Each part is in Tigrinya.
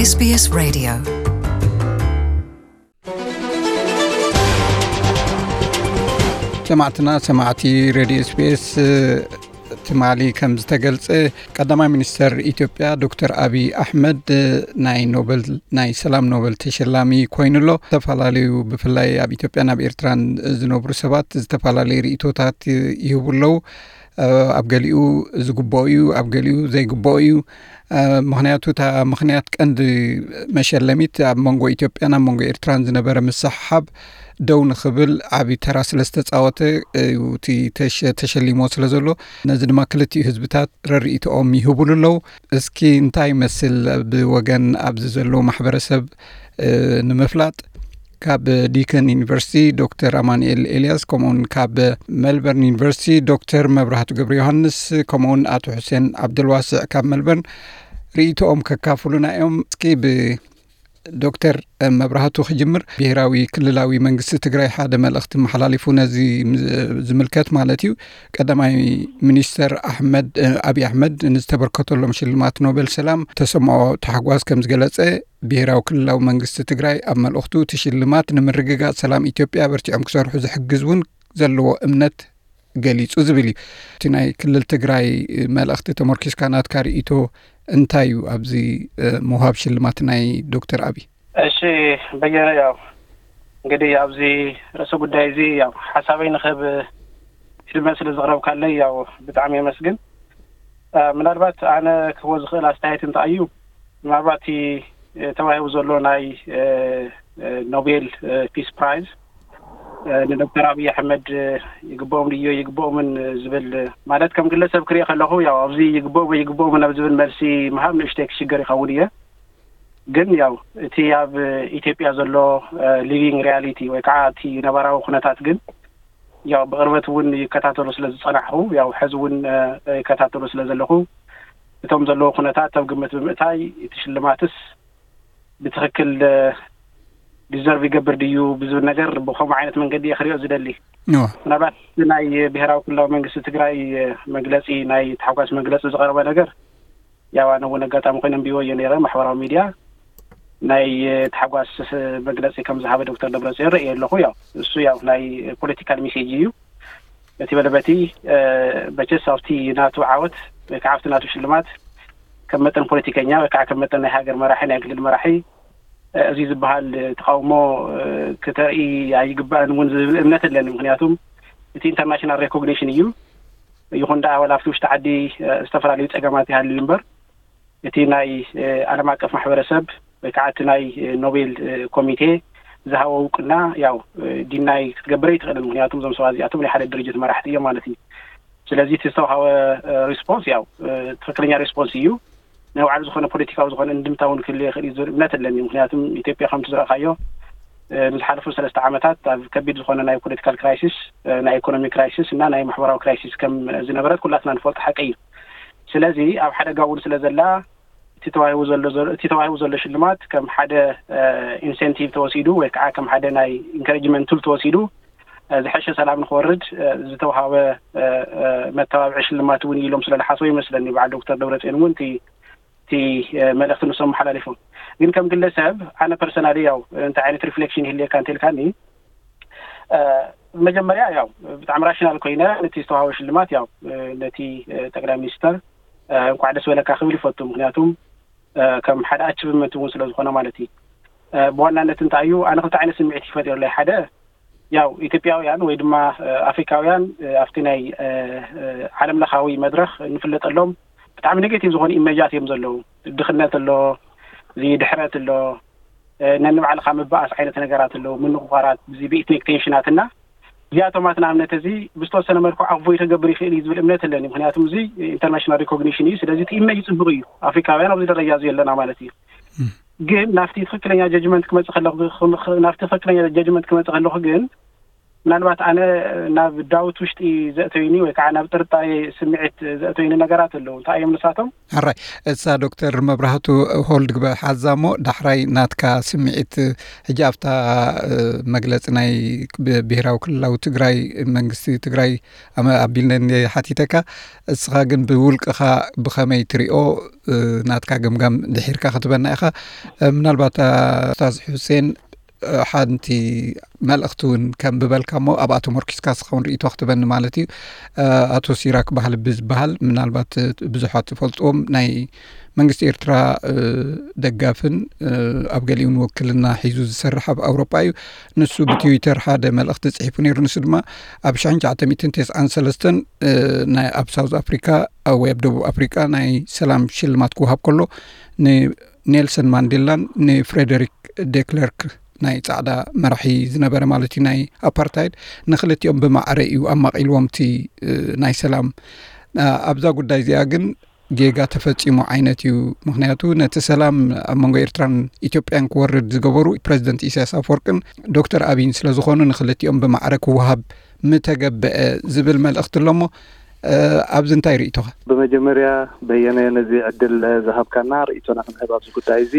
S B S Radio. ሰማዕትና ሰማዕቲ ሬድዮ ኤስቢኤስ፣ ትማሊ ከም ዝተገልጸ፣ ቀዳማይ ሚኒስተር ኢትዮጵያ ዶክተር ኣቢይ ኣሕመድ ናይ ኖበል፣ ናይ ሰላም ኖበል ተሸላሚ ኮይኑ ኣሎ። ዝተፈላለዩ፣ ብፍላይ ኣብ ኢትዮጵያን ኣብ ኤርትራን ዝነብሩ ሰባት ዝተፈላለዩ ርእይቶታት ይህቡ ኣለዉ። ኣብ ገሊኡ ዝግብኦ እዩ፣ ኣብ ገሊኡ ዘይግብኦ እዩ። ምኽንያቱ፣ እታ ምኽንያት፣ ቀንዲ መሸለሚት፣ ኣብ መንጎ ኢትዮጵያን ኣብ መንጎ ኤርትራን ዝነበረ ምስሕሓብ ደው ንኽብል ዓቢ ተራ ስለ ዝተጻወተ እዩ እቲ ተሸ-፣ ተሸሊሞ ስለ ዘሎ፣ ነዚ ድማ ክልቲኡ ህዝብታት ረርእይቶኦም ይህቡሉ ኣለዉ። እስኪ እንታይ ይመስል ብወገን ኣብዚ ዘሎ ማሕበረሰብ፣ እ፣ ንምፍላጥ፣ ካብ ዲከን ዩኒቨርሲቲ ዶክተር ኣማኑኤል ኤልያስ፣ ከምኡውን ካብ ሜልበርን ዩኒቨርሲቲ ዶክተር መብራህቱ ገብረ ዮሃንስ፣ ከምኡውን ኣቶ ሑሴን ዓብደልዋስዕ ካብ ሜልበርን ርእይቶኦም ከካፍሉና እዮም። እስኪ ብዶክተር መብራህቱ ክጅምር። ብሄራዊ ክልላዊ መንግስቲ ትግራይ ሓደ መልእኽቲ መሓላሊፉ፣ ነዚ ዝምልከት ማለት እዩ። ቀዳማይ ሚኒስተር ኣሕመድ፣ ኣብይ ኣሕመድ፣ ንዝተበርከተሎም ሽልማት ኖቤል ሰላም ተሰምዖ ታሕጓስ ከም ዝገለጸ፣ ብሄራዊ ክልላዊ መንግስቲ ትግራይ ኣብ መልእኽቱ፣ እቲ ሽልማት ንምርግጋጽ ሰላም ኢትዮጵያ በርቲዖም ክሰርሑ ዝሕግዝ እውን ዘለዎ እምነት ገሊጹ ዝብል እዩ። እቲ ናይ ክልል ትግራይ መልእኽቲ ተመርኪስካ፣ ናትካ ርእይቶ እንታይ እዩ ኣብዚ፣ እ፣ ምውሃብ ሽልማት ናይ ዶክተር ኣብይ? እሺ፣ በየነ፣ ያው እንግዲህ ኣብዚ ርእሰ ጉዳይ እዚ ያው ሓሳበይ ንኽህብ ዕድመ ስለ ዘቕረብካለይ ያው ብጣዕሚ የመስግን። እ፣ ምናልባት ኣነ ክህቦ ዝኽእል ኣስተያየት እንታይ እዩ፣ ምናልባት እቲ፣ እ፣ ተዋሂቡ ዘሎ ናይ፣ እ፣ እ፣ ኖቤል፣ እ፣ ፒስ ፕራይዝ፣ እ፣ ንዶክተር ኣብይ ኣሕመድ፣ እ፣ ይግብኦም ድዮ ይግብኦምን ዝብል፣ እ፣ ማለት ከም ግለሰብ ክሪኦ ከለኹ ያው ኣብዚ ይግብኦም ወይ ይግብኦምን ኣብ ዝብል መልሲ ምሃብ ንእሽተይ ክሽገር ይኸውን እየ። ግን ያው እቲ ኣብ ኢትዮጵያ ዘሎ፣ እ፣ ሊቪንግ ሪያሊቲ ወይ ከዓ እቲ ነባራዊ ኩነታት ግን ያው ብቕርበት እውን ይከታተሎ ስለ ዝጸናሕኹ፣ ያው ሕዚ እውን፣ እ፣ ይከታተሎ ስለ ዘለኹ፣ እቶም ዘለዉ ኩነታት ኣብ ግምት ብምእታይ እቲ ሽልማትስ ብትኽክል፣ እ፣ ዲዘርቭ ይገብር ድዩ ብዝብል ነገር ብኸምኡ ዓይነት መንገዲ እየ ክሪኦ ዝደሊ። እዋ። ምናልባት ናይ ብሄራዊ ክልላዊ መንግስቲ ትግራይ፣ እ፣ መግለጺ፣ ናይ ታሕጓስ መግለጺ ዝቐረበ ነገር፣ ያው ኣነ እውን ኣጋጣሚ ኮይነ ኣንቢቦ እየ ነይረ ማሕበራዊ ሚድያ። ናይ፣ እ፣ ታሕጓስ መግለጺ ከም ዝሃበ ዶክተር ደብረጽዮን ርእየ ኣለኹ። ያው እሱ ያው ናይ ፖለቲካል ሜሴጅ እዩ። እቲ በለ በቲ፣ እ፣ መቸስ ኣብቲ ናቱ ዓወት ወይ ከዓ ኣብቲ ናቱ ሽልማት ከም መጠን ፖለቲከኛ ወይ ከዓ ከም መጠን ናይ ሃገር መራሒ፣ ናይ ክልል መራሒ፣ እ፣ እዚ ዝበሃል ተቃውሞ፣ እ፣ ክተርኢ ኣይግባእን እውን ዝብል እምነት ኣለኒ። ምክንያቱም እቲ ኢንተርናሽናል ሬኮግኒሽን እዩ። ይኹን ደኣ ዋላ ኣብቲ ውሽጢ ዓዲ፣ እ፣ ዝተፈላለዩ ጸገማት ይሃልዩ እምበር፣ እቲ ናይ፣ እ፣ ዓለም ኣቀፍ ማሕበረሰብ ወይ ከዓ እቲ ናይ፣ እ፣ ኖቤል፣ እ፣ ኮሚቴ ዝሃቦ እውቅና ያው፣ እ፣ ዲናይ ክትገብር ኣይትኽእልን። ምክንያቱም እዞም ሰባት እዚኣቶም ናይ ሓደ ድርጅት መራሕቲ እዮም ማለት እዩ። ስለዚ እቲ ዝተውሃበ፣ እ፣ ሪስፖንስ ያው፣ እ፣ ትኽክለኛ ሪስፖንስ እዩ። ናይ ባዕሉ ዝኾነ ፖለቲካዊ ዝኾነ እንድምታ እውን ክህልዮ ይኽእል እዩ ዝብል እምነት ኣለኒ። ምክንያቱም ኢትዮጵያ ከምቲ ዝረእኻዮ፣ እ፣ ንዝሓለፉ ሰለስተ ዓመታት ኣብ ከቢድ ዝኾነ ናይ ፖለቲካል ክራይሲስ፣ እ፣ ናይ ኢኮኖሚ ክራይሲስ እና ናይ ማሕበራዊ ክራይሲስ ከም ዝነበረት ኩላትና ንፈልጦ ሓቂ እዩ። ስለዚ ኣብ ሓደጋ እውን ስለ ዘላ እቲ ተዋሂቡ ዘሎ፣ ዘሎ፣ እቲ ተዋሂቡ ዘሎ ሽልማት ከም ሓደ፣ እ፣ ኢንሴንቲቭ ተወሲዱ ወይ ከዓ ከም ሓደ ናይ ኢንከሬጅመንት ቱል ተወሲዱ፣ እ፣ ዝሐሸ ሰላም ንክወርድ፣ እ፣ ዝተውሃበ፣ እ፣ እ፣ መተባብዒ ሽልማት እውን ኢሎም ስለ ዝሓስቡ ይመስለኒ በዓል ዶክተር ደብረጽዮን እውን እቲ፣ እቲ፣ እ፣ መልእኽቲ ንሶም መሓላሊፎም። ግን ከም ግለሰብ ኣነ ፐርሰናሊ ያው እንታይ ዓይነት ሪፍሌክሽን ይህልየካ እንተልካኒ፣ እ፣ መጀመርያ ያው ብጣዕሚ ራሽናል ኮይነ ነቲ ዝተዋሃበ ሽልማት ያው፣ እ፣ ነቲ፣ እ፣ ጠቅላይ ሚኒስተር፣ እ፣ እንኳዕ ደስ በለካ ክብል ይፈቱ። ምክንያቱም፣ እ፣ ከም ሓደ ኣቺቭመንት እውን ስለ ዝኾነ ማለት እዩ። እ፣ ብዋናነት እንታይ እዩ፣ ኣነ ክልተ ዓይነት ስምዒት ይፈጥረለይ። ሓደ ያው ኢትዮጵያውያን ወይ ድማ፣ እ፣ ኣፍሪካውያን፣ እ፣ ኣብቲ ናይ፣ እ፣ እ፣ ዓለም ለኻዊ መድረኽ እንፍለጠሎም ብጣዕሚ ኔጌቲቭ ዝኾኑ ኢሜጃት እዮም ዘለዉ። ድኽነት ኣሎ፣ እዚ ድሕረት ኣሎ፣ እ፣ ነንባዕልኻ ምባኣስ ዓይነት ነገራት ኣለዉ፣ ምንቑቓራት፣ እዚ ብኢትኒክ ቴንሽናት እና እዚኣቶም ኣት ንኣብነት እዚ ብዝተወሰነ መልክዑ ኣቮይድ ክገብር ይኽእል እዩ ዝብል እምነት ኣለኒ። ምክንያቱም እዚ ኢንተርናሽናል ሪኮግኒሽን እዩ። ስለዚ እቲ ኢሜጅ ጽቡቕ እዩ፣ ኣፍሪካውያን ኣብዚ ደረጃ እዚ ኣለና ማለት እዩ። እም። ግን ናብቲ ትኽክለኛ ጀጅመንት ክመጽእ ከለኹ፣ ናብቲ ትኽክለኛ ጀጅመንት ክመጽእ ከለኹ ግን ምናልባት ኣነ ናብ ዳውት ውሽጢ ዘእተዩኒ ወይ ከዓ ናብ ጥርጣሬ ስምዒት ዘእተዩኒ ነገራት ኣለዉ። እንታይ እዮም ንሳቶም? ሕራይ፣ እሳ ዶክተር መብራህቱ ሆልድ ግበ ሓዛ እሞ፣ ዳሕራይ ናትካ ስምዒት። ሕጂ ኣብታ መግለፂ ናይ ብሄራዊ ክልላዊ ትግራይ፣ መንግስቲ ትግራይ ኣቢልነ ሓቲተካ፣ እስኻ ግን ብውልቅኻ ብኸመይ ትሪኦ? ናትካ ገምጋም ድሒርካ ክትበና ኢኻ። ምናልባት ኣስታዝ ሑሴን ሓንቲ መልእኽቲ እውን ከም ብበልካ እሞ ኣብኣ ተመርኪስካ ስኸውን ርእይቶ ክትበኒ ማለት እዩ። ኣቶ ሲራክ ባህል ብዝበሃል፣ ምናልባት ብዙሓት ዝፈልጥዎም ናይ መንግስቲ ኤርትራ ደጋፍን ኣብ ገሊኡን ወክልና ሒዙ ዝሰርሕ ኣብ ኣውሮጳ እዩ። ንሱ ብትዊተር ሓደ መልእኽቲ ጽሒፉ ነይሩ። ንሱ ድማ ኣብ ሽሕን ትሽዓተ ሚእትን ተስዓን ሰለስተን ኣብ ሳውዝ ኣፍሪካ ወይ ኣብ ደቡብ ኣፍሪካ ናይ ሰላም ሽልማት ክወሃብ ከሎ ንኔልሰን ማንዴላን ንፍሬደሪክ ዴክለርክ ናይ ጻዕዳ መራሒ ዝነበረ ማለት እዩ ናይ ኣፓርታይድ፣ ንክልቲኦም ብማዕረ እዩ ኣማቒልዎም እቲ ናይ ሰላም። ኣብዛ ጉዳይ እዚኣ ግን ጌጋ ተፈጺሙ ዓይነት እዩ። ምክንያቱ ነቲ ሰላም ኣብ መንጎ ኤርትራን ኢትዮጵያን ክወርድ ዝገበሩ ፕረዚደንት ኢሳያስ ኣፈወርቅን ዶክተር ኣብይን ስለ ዝኾኑ ንክልቲኦም ብማዕረ ክወሃብ ምተገበአ ዝብል መልእኽቲ ኣሎ እሞ፣ ኣብዚ እንታይ ርእይቶኻ? ብመጀመርያ በየነ ነዚ ዕድል ዝሃብካና ርእይቶና ክንህብ ኣብዚ ጉዳይ እዚ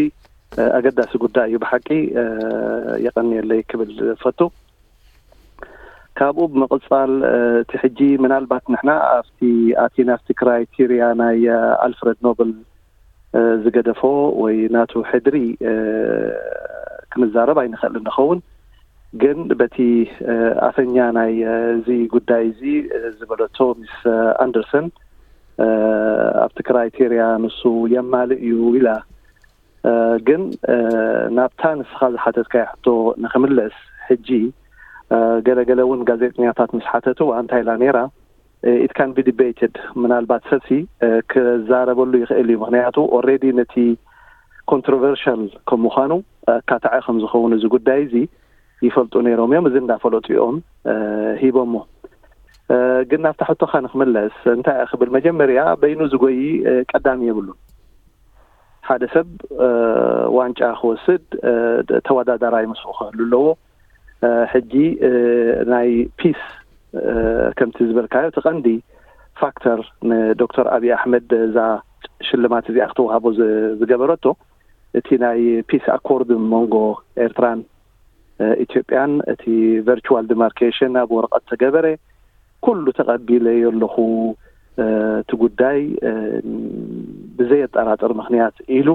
ኣገዳሲ ጉዳይ እዩ ብሓቂ፣ የቐንየለይ ክብል ፈቱ። ካብኡ ብምቕጻል እቲ ሕጂ ምናልባት ንሕና ኣብቲ ኣቲና ኣብቲ ክራይቴርያ ናይ ኣልፍረድ ኖብል ዝገደፎ ወይ ናቱ ሕድሪ ክንዛረብ ኣይንኽእል እንኸውን፣ ግን በቲ ኣፈኛ ናይ እዚ ጉዳይ እዚ ዝበለቶ ሚስ ኣንደርሰን ኣብቲ ክራይቴርያ ንሱ የማልእ እዩ ኢላ። ግን ናብታ ንስኻ ዝሓተትካዮ ሕቶ ንክምለስ፣ ሕጂ ገለገለ እውን ጋዜጠኛታት ምስ ሓተትዋ እንታይ ኢላ ነይራ? It can be debated፣ ምናልባት ሰብሲ ክዛረበሉ ይኽእል እዩ። ምክንያቱ ኦልሬዲ ነቲ ኮንትሮቨርሻል ከም ምዃኑ ኣካታዒ ከም ዝኸውን እዚ ጉዳይ እዚ ይፈልጡ ነይሮም እዮም። እዚ እንዳፈለጡ እዮም ሂቦሞ። ግን ናብታ ሕቶኻ ንክምለስ እንታይ ክብል፣ መጀመርያ በይኑ ዝጎይ ቀዳሚ የብሉን። ሓደ ሰብ ዋንጫ ክወስድ ተወዳዳራይ ምስኡ ክህሉ ኣለዎ። ሕጂ ናይ ፒስ ከምቲ ዝበልካዮ እቲ ቀንዲ ፋክተር ንዶክተር ኣብይ ኣሕመድ እዛ ሽልማት እዚኣ ክትወሃቦ ዝገበረቶ እቲ ናይ ፒስ ኣኮርድ መንጎ ኤርትራን ኢትዮጵያን እቲ ቨርቹዋል ዲማርኬሽን ኣብ ወረቐት ተገበረ። ኩሉ ተቐቢለዮ ኣለኹ። እቲ ጉዳይ ብዘየጠራጥር ምክንያት ኢሉ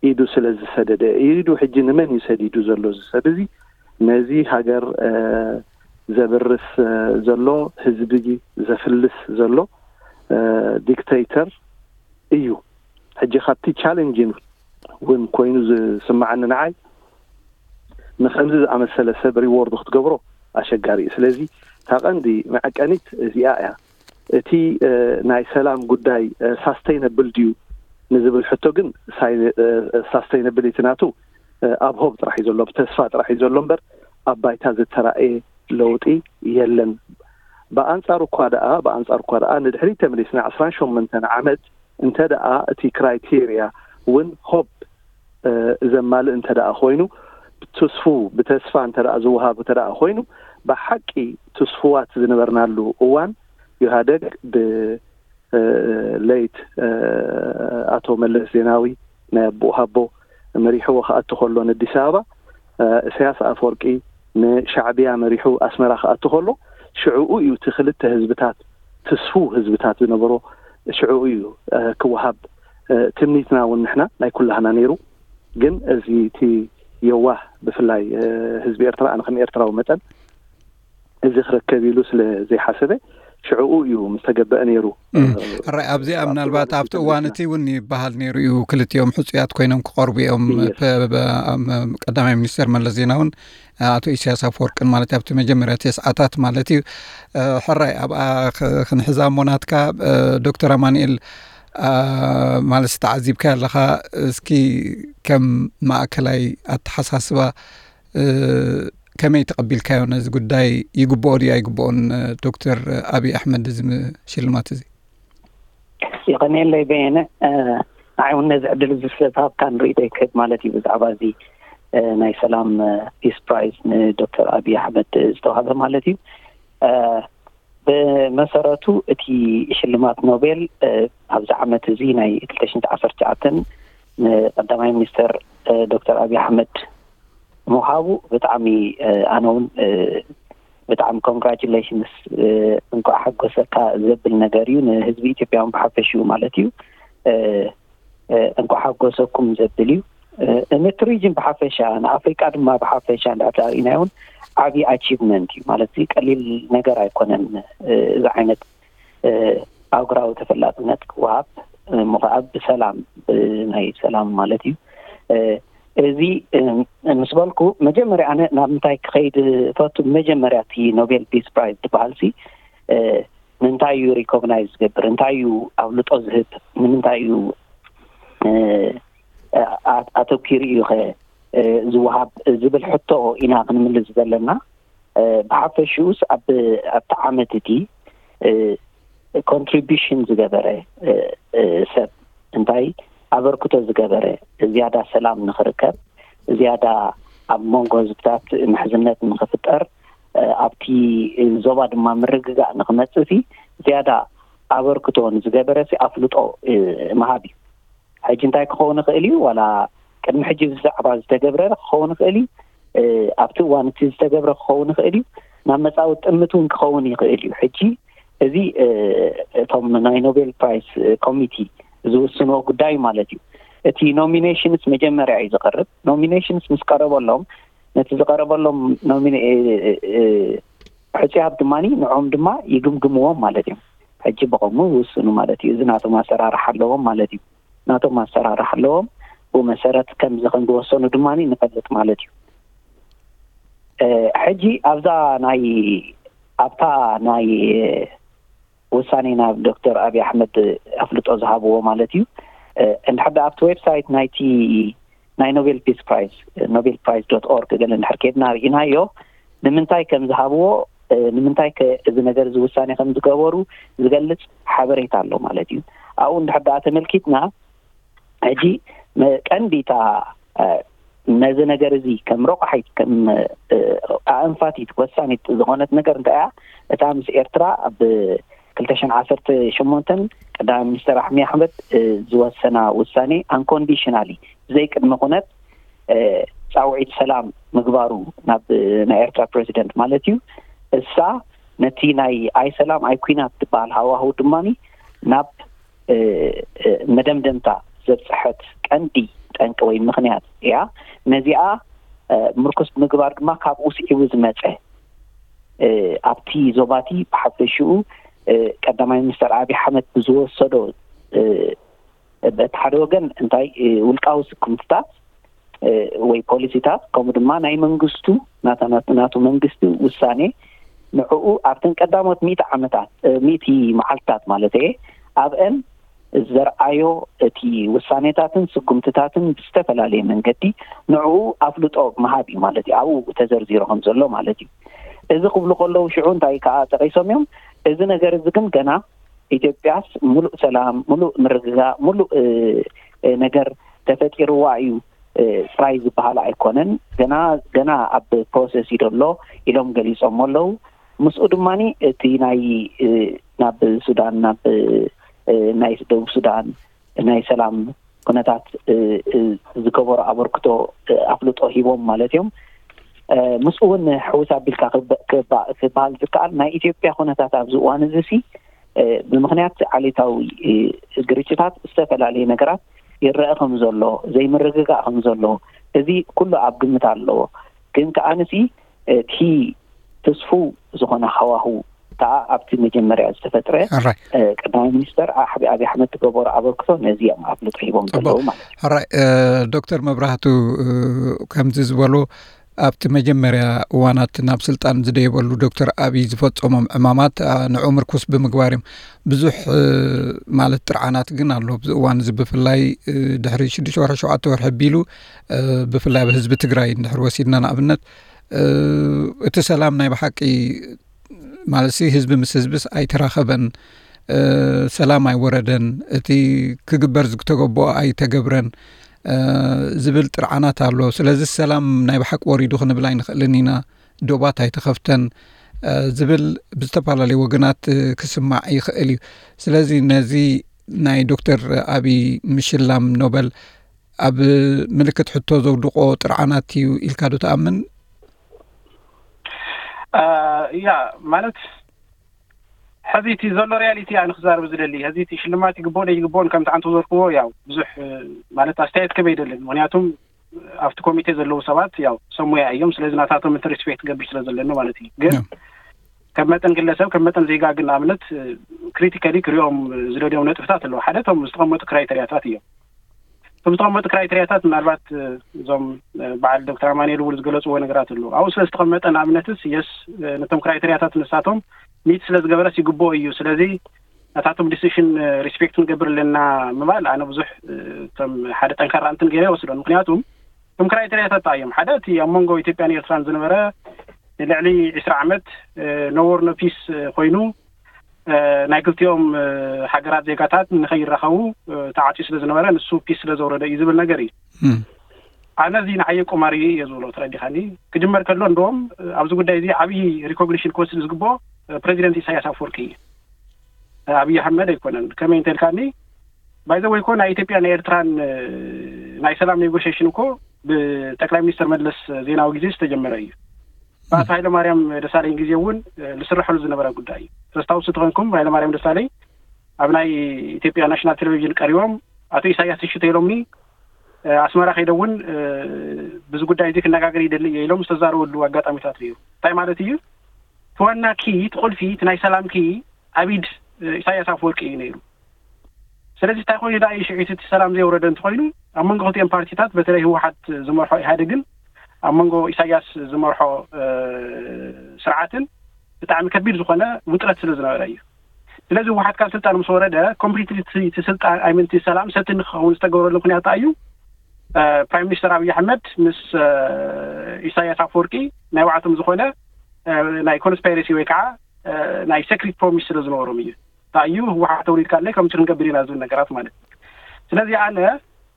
ኢዱ ስለ ዝሰደደ፣ ኢዱ ሕጂ ንመን እዩ ሰዲዱ ዘሎ? እዚ ሰብ እዚ ነዚ ሃገር ዘብርስ ዘሎ፣ ህዝቢ ዘፍልስ ዘሎ ዲክተይተር እዩ። ሕጂ ካብቲ ቻሌንጅን እውን ኮይኑ ዝስምዓኒ ንዓይ፣ ንከምዚ ዝኣመሰለ ሰብ ሪዎርድ ክትገብሮ ኣሸጋሪ እዩ። ስለዚ እታ ቀንዲ መዐቀኒት እዚኣ እያ። እቲ ናይ ሰላም ጉዳይ ሳስተይነብል ድዩ ንዝብል ሕቶ ግን ሳስተይነብሊቲ ናቱ ኣብ ሆብ ጥራሕ እዩ ዘሎ፣ ብተስፋ ጥራሕ እዩ ዘሎ እምበር ኣብ ባይታ ዝተራእየ ለውጢ የለን። ብኣንጻሩ እኳ ደኣ ብኣንጻሩ እኳ ደኣ ንድሕሪት ተመሊስና ዕስራን ሸሞንተን ዓመት እንተ ደኣ እቲ ክራይቴርያ እውን ሆብ ዘማልእ እንተ ደኣ ኮይኑ፣ ብትስፉ ብተስፋ እንተ ደኣ ዝወሃብ እንተ ደኣ ኮይኑ፣ ብሓቂ ትስፉዋት ዝነበርናሉ እዋን ኢህኣደግ ብ ሌት ኣቶ መለስ ዜናዊ ናይ ኣቦኡ ሃቦ መሪሕዎ ክኣቱ ከሎ ንኣዲስ ኣበባ፣ ኢሳያስ ኣፈወርቂ ንሻዕብያ መሪሑ ኣስመራ ክኣቱ ከሎ ሽዕኡ እዩ እቲ ክልተ ህዝብታት ትስፉው ህዝብታት ዝነበሮ ሽዕኡ እዩ ክወሃብ ትምኒትና እውን ንሕና ናይ ኩላህና ነይሩ። ግን እዚ እቲ የዋህ ብፍላይ ህዝቢ ኤርትራ ኣነ ከም ኤርትራዊ መጠን እዚ ክረከብ ኢሉ ስለ ዘይሓሰበ ሽዕኡ እዩ ምስ ተገበአ ነይሩ። ሕራይ ኣብዚኣ ምናልባት ኣብቲ እዋን እቲ እውን ይበሃል ነይሩ እዩ ክልቲኦም ሕፁያት ኮይኖም ክቐርቡ እዮም። ቀዳማይ ሚኒስተር መለስ ዜናውን ኣቶ ኢሳያስ ኣፈወርቅን ማለት ኣብቲ መጀመርያ ተስዓታት ማለት እዩ። ሕራይ ኣብኣ ክንሕዛ እሞ ናትካ ዶክተር ኣማንኤል ማለት ተዓዚብካ ኣለኻ። እስኪ ከም ማእከላይ ኣተሓሳስባ ከመይ ተቐቢልካዮ ነዚ ጉዳይ? ይግብኦ ድዩ ኣይግብኦን ዶክተር ኣብይ ኣሕመድ እዚ ሽልማት እዚ? ይቐንየለይ በየነ። ንዓይ እውን ነዚ ዕድል እዚ ስለዝሃብካን ርእይቶይ ክህብ ማለት እዩ ብዛዕባ እዚ ናይ ሰላም ፒስ ፕራይዝ ንዶክተር ኣብይ ኣሕመድ ዝተዋህበ ማለት እዩ። ብመሰረቱ እቲ ሽልማት ኖቤል ኣብዚ ዓመት እዚ ናይ ክልተ ሽሕን ዓሰርተ ትሽዓተን ንቀዳማይ ሚኒስተር ዶክተር ኣብይ ኣሕመድ ምውሃቡ ብጣዕሚ፣ ኣነ እውን ብጣዕሚ ኮንግራጁሌሽንስ፣ እንኳዕ ሓጎሰካ ዘብል ነገር እዩ። ንህዝቢ ኢትዮጵያ እውን ብሓፈሽኡ ማለት እዩ። እንኳዕ ሓጎሰኩም ዘብል እዩ። ነቲ ሪጅን ብሓፈሻ፣ ንኣፍሪቃ ድማ ብሓፈሻ እንዳተርእናዮ እውን ዓብዪ ኣቺቭመንት እዩ ማለት እዩ። ቀሊል ነገር ኣይኮነን። እዚ ዓይነት ኣህጉራዊ ተፈላጥነት ክወሃብ፣ እሞ ከዓ ብሰላም፣ ብናይ ሰላም ማለት እዩ። እዚ ምስ በልኩ፣ መጀመርያ ኣነ ናብ ምንታይ ክኸይድ እፈቱ? መጀመርያ እቲ ኖቤል ፒስ ፕራይዝ ዝበሃል ሲ ንምንታይ እዩ ሪኮግናይዝ ዝገብር? እንታይ እዩ ኣብልጦ ዝህብ? ንምንታይ እዩ ኣተኪሩ እዩ ከ ዝወሃብ ዝብል ሕቶ ኢና ክንምልስ ዘለና። ብሓፈሽኡስ ኣብቲ ዓመት እቲ ኮንትሪቢሽን ዝገበረ ሰብ፣ እንታይ ኣበርክቶ ዝገበረ፣ ዝያዳ ሰላም ንክርከብ፣ ዝያዳ ኣብ መንጎ ህዝብታት ምሕዝነት ንክፍጠር፣ ኣብቲ ዞባ ድማ ምርግጋእ ንክመፅእ ሲ ዝያዳ ኣበርክቶ ንዝገበረ ሲ ኣፍልጦ ምሃብ እዩ። ሕጂ እንታይ ክኸውን ይኽእል እዩ? ዋላ ቅድሚ ሕጂ ብዛዕባ ዝተገብረ ክኸውን ይኽእል እዩ። ኣብቲ እዋን እቲ ዝተገብረ ክኸውን ይኽእል እዩ። ናብ መጻኢ ጥምት እውን ክኸውን ይኽእል እዩ። ሕጂ እዚ እቶም ናይ ኖቤል ፕራይስ ኮሚቲ ዝውስንዎ ጉዳይ ማለት እዩ። እቲ ኖሚኔሽንስ መጀመርያ እዩ ዝቐርብ። ኖሚኔሽንስ ምስ ቀረበሎም፣ ነቲ ዝቐረበሎም ሕፁያት ድማ ንዖም ድማ ይግምግምዎም ማለት እዮም። ሕጂ ብቐሙ ይውስኑ ማለት እዩ። እዚ ናቶም ኣሰራርሓ ኣለዎም ማለት እዩ። ናቶም ኣሰራርሓ ኣለዎም። ብኡ መሰረት ከምዚ ከም ዝወሰኑ ድማ ንፈልጥ ማለት እዩ። ሕጂ ኣብዛ ናይ ኣብታ ናይ ውሳኔ ናብ ዶክተር ኣብይ ኣሕመድ ኣፍልጦ ዝሃብዎ ማለት እዩ። እንድሕር ኣብቲ ዌብሳይት ናይቲ ናይ ኖቤል ፒስ ፕራይዝ፣ ኖቤል ፕራይዝ ዶት ኦርግ ገለ እንድሕር ከድና ርኢናዮ፣ ንምንታይ ከም ዝሃብዎ፣ ንምንታይ ከ እዚ ነገር እዚ ውሳኔ ከም ዝገበሩ ዝገልጽ ሓበሬታ ኣሎ ማለት እዩ። ኣብኡ እንድሕር ደኣ ተመልኪትና፣ ሕጂ ቀንዲታ ነዚ ነገር እዚ ከም ረቋሒት፣ ከም ኣእንፋቲት ወሳኒት ዝኾነት ነገር እንታይ እያ? እታ ምስ ኤርትራ ኣብ ክልተ ሽሕን ዓሰርተ ሸሞንተን ቀዳማይ ሚኒስተር ኣሕመድ ኣሕመድ ዝወሰና ውሳኔ፣ ኣንኮንዲሽናሊ፣ ብዘይ ቅድመ ኩነት ፃውዒት ሰላም ምግባሩ ናብ ናይ ኤርትራ ፕሬዚደንት ማለት እዩ። እሳ ነቲ ናይ ኣይ ሰላም ኣይ ኩናት ዝበሃል ሃዋህው ድማ ናብ መደምደምታ ዘብፅሐት ቀንዲ ጠንቂ ወይ ምኽንያት እያ። ነዚኣ ምርኩስ ምግባር ድማ ካብኡ ስዒቡ ዝመፀ፣ ኣብቲ ዞባቲ ብሓፈሽኡ ቀዳማይ ሚኒስተር ኣብይ ኣሕመድ ብዝወሰዶ በቲ ሓደ ወገን እንታይ ውልቃዊ ስጉምትታት ወይ ፖሊሲታት፣ ከምኡ ድማ ናይ መንግስቱ፣ ናቱ መንግስቲ ውሳኔ፣ ንዕኡ ኣብተን ቀዳሞት ሚእቲ ዓመታት፣ ሚእቲ መዓልትታት ማለት እየ፣ ኣብአን ዘርኣዮ እቲ ውሳኔታትን ስጉምትታትን ብዝተፈላለየ መንገዲ ንዕኡ ኣፍልጦ ምሃብ እዩ ማለት እዩ። ኣብኡ ተዘርዚሩ ከም ዘሎ ማለት እዩ። እዚ ክብሉ ከለዉ ሽዑ እንታይ ከዓ ጠቂሶም እዮም? እዚ ነገር እዚ ግን ገና ኢትዮጵያስ ሙሉእ ሰላም፣ ሙሉእ ምርግጋእ፣ ሙሉእ ነገር ተፈጢርዋ እዩ ጥራይ ዝበሃል ኣይኮነን። ገና ገና ኣብ ፕሮሰስ እዩ ዘሎ ኢሎም ገሊፆም ኣለዉ። ምስኡ ድማ እቲ ናይ ናብ ሱዳን፣ ናብ ናይ ደቡብ ሱዳን ናይ ሰላም ኩነታት ዝገበሮ ኣበርክቶ ኣፍልጦ ሂቦም ማለት እዮም። ምስኡ እውን ሕውስ ኣቢልካ ክበሃል ዝከኣል፣ ናይ ኢትዮጵያ ኩነታት ኣብዚ እዋን እዚ ሲ ብምኽንያት ዓሌታዊ ግርጭታት ዝተፈላለየ ነገራት ይረአ ከም ዘሎ፣ ዘይምርግጋእ ከም ዘሎ፣ እዚ ኩሉ ኣብ ግምት ኣለዎ። ግን ከኣ ንሲ እቲ ትስፉ ዝኾነ ሃዋሁ ከኣ ኣብቲ መጀመርያ ዝተፈጥረ ቀዳማይ ሚኒስተር ኣብይ ኣሕመድ ዝገበሮ ኣበርክቶ ነዚ እዮም ኣፍልጦ ሂቦም ዘለዉ ማለት እዩ። ሕራይ። ዶክተር መብራህቱ፣ ከምዚ ዝበሉ ኣብቲ መጀመርያ እዋናት ናብ ስልጣን ዝደየበሉ ዶክተር ኣብይ ዝፈጸሞም ዕማማት ንዑ ምርኩስ ብምግባር እዮም። ብዙሕ ማለት ጥርዓናት ግን ኣሎ ኣብዚ እዋን እዚ፣ ብፍላይ ድሕሪ ሽዱሽተ ወርሒ ሸውዓተ ወርሒ ኣቢሉ፣ ብፍላይ ኣብ ህዝቢ ትግራይ እንድሕር ወሲድና ንኣብነት፣ እቲ ሰላም ናይ ብሓቂ ማለት ሲ ህዝቢ ምስ ህዝብስ ኣይተራኸበን፣ ሰላም ኣይወረደን፣ እቲ ክግበር ዝተገበኦ ኣይተገብረን። ዝብል ጥርዓናት ኣሎ። ስለዚ ሰላም ናይ ብሓቂ ወሪዱ ክንብል ኣይንኽእልን ኢና፣ ዶባት ኣይተኸፍተን ዝብል ብዝተፈላለዩ ወገናት ክስማዕ ይኽእል እዩ። ስለዚ ነዚ ናይ ዶክተር ኣቢይ ምሽላም ኖበል ኣብ ምልክት ሕቶ ዘውድቆ ጥርዓናት እዩ ኢልካ ዶ ትኣምን? ያ ማለት ሕዚ እቲ ዘሎ ሪያሊቲ ኣነ ክዛረብ ዝደሊ ሕዚ እቲ ሽልማት ይግብኦ ዶ ይግብኦን ከምቲ ዓንተ ዘርክዎ ያው ብዙሕ ማለት ኣስተያየት ክበ ይደልን ምክንያቱም ኣብቲ ኮሚቴ ዘለዉ ሰባት ያው ሰሙያ እዮም። ስለዚ ናታቶም እቲ ሪስፔክት ገብር ስለ ዘለኒ ማለት እዩ። ግን ከም መጠን ግለሰብ ከም መጠን ዜጋ ግን ኣብነት ክሪቲካሊ ክሪኦም ዝደልዮም ነጥብታት ኣለዉ። ሓደ እቶም ዝተቐመጡ ክራይተሪያታት እዮም። እቶም ዝተቐመጡ ክራይተሪያታት ምናልባት እዞም በዓል ዶክተር ኣማኑኤል እውን ዝገለፅዎ ነገራት ኣለዉ። ኣብኡ ስለ ዝተቐመጠ ንኣብነትስ የስ ነቶም ክራይተሪያታት ንሳቶም ሚት ስለ ዝገበረስ ይግብኦ እዩ። ስለዚ ናታቶም ዲሲሽን ሪስፔክት ንገብር ኣለና ምባል ኣነ ብዙሕ ከም ሓደ ጠንካራ እንትን ገይረ ይወስዶን። ምክንያቱም እቶም ክራይተሪያታት እዮም። ሓደ እቲ ኣብ መንጎ ኢትዮጵያን ኤርትራን ዝነበረ ንልዕሊ ዕስራ ዓመት ነወር ኖ ፒስ ኮይኑ ናይ ክልቲኦም ሃገራት ዜጋታት ንኸይራኸቡ ተዓፅዩ ስለ ዝነበረ ንሱ ፒስ ስለ ዘውረደ እዩ ዝብል ነገር እዩ። ኣነ እዚ ንዓየ ቁማር እዩ እየ ዝብሎ። ተረዲኻኒ? ክጅመር ከሎ እንደዎም ኣብዚ ጉዳይ እዚ ዓብዪ ሪኮግኒሽን ክወስድ ዝግብኦ ፕሬዚደንት ኢሳያስ ኣፈወርቂ እዩ። ኣብይ ኣሕመድ ኣይኮነን። ከመይ እንተልካኒ ባይዘ ወይ ኮ ናይ ኢትዮጵያ ናይ ኤርትራን ናይ ሰላም ኔጎሽሽን እኮ ብጠቅላይ ሚኒስትር መለስ ዜናዊ ግዜ ዝተጀመረ እዩ። ብኣቶ ሃይለማርያም ደሳለኝ ግዜ እውን ዝስረሐሉ ዝነበረ ጉዳይ እዩ። ተስታውሱ ተኾንኩም ሃይለማርያም ደሳለኝ ኣብ ናይ ኢትዮጵያ ናሽናል ቴሌቪዥን ቀሪቦም ኣቶ ኢሳያስ እሺ ተይሎምኒ ኣስመራ ከይደ እውን ብዚ ጉዳይ እዚ ክነጋገር ይደሊ እየ ኢሎም ዝተዛረበሉ ኣጋጣሚታት ነይሩ። እንታይ ማለት እዩ? እቲ ዋና ኪ እቲ ቁልፊ እቲ ናይ ሰላም ኪ ኣብ ኢድ ኢሳያስ ኣፈወርቂ እዩ ነይሩ። ስለዚ እንታይ ኮይኑ ዳ ሽዒት እቲ ሰላም ዘይወረደ እንተኮይኑ ኣብ መንጎ ክልቲኦም ፓርቲታት በተለይ ህወሓት ዝመርሖ ኢህኣዴግን ኣብ መንጎ ኢሳያስ ዝመርሖ ስርዓትን ብጣዕሚ ከቢድ ዝኾነ ውጥረት ስለ ዝነበረ እዩ። ስለዚ ህወሓት ካብ ስልጣን ምስ ወረደ ኮምፕሊትሊ እቲ ስልጣን ኣይምንቲ ሰላም ሰቲ ንክኸውን ዝተገብረሉ ምክንያት እዩ። ፕራይም ሚኒስተር ኣብይ ኣሕመድ ምስ ኢሳያስ ኣፈወርቂ ናይ ባዕቶም ዝኾነ ናይ ኮንስፓይረሲ ወይ ከዓ ናይ ሰክሪት ፕሮሚስ ስለ ዝነበሮም እዩ። እንታይ እዩ ህወሓት ተውሪድካ ኣለይ ከምቲ ክንገብር ኢና ዝብል ነገራት ማለት እዩ። ስለዚ ኣነ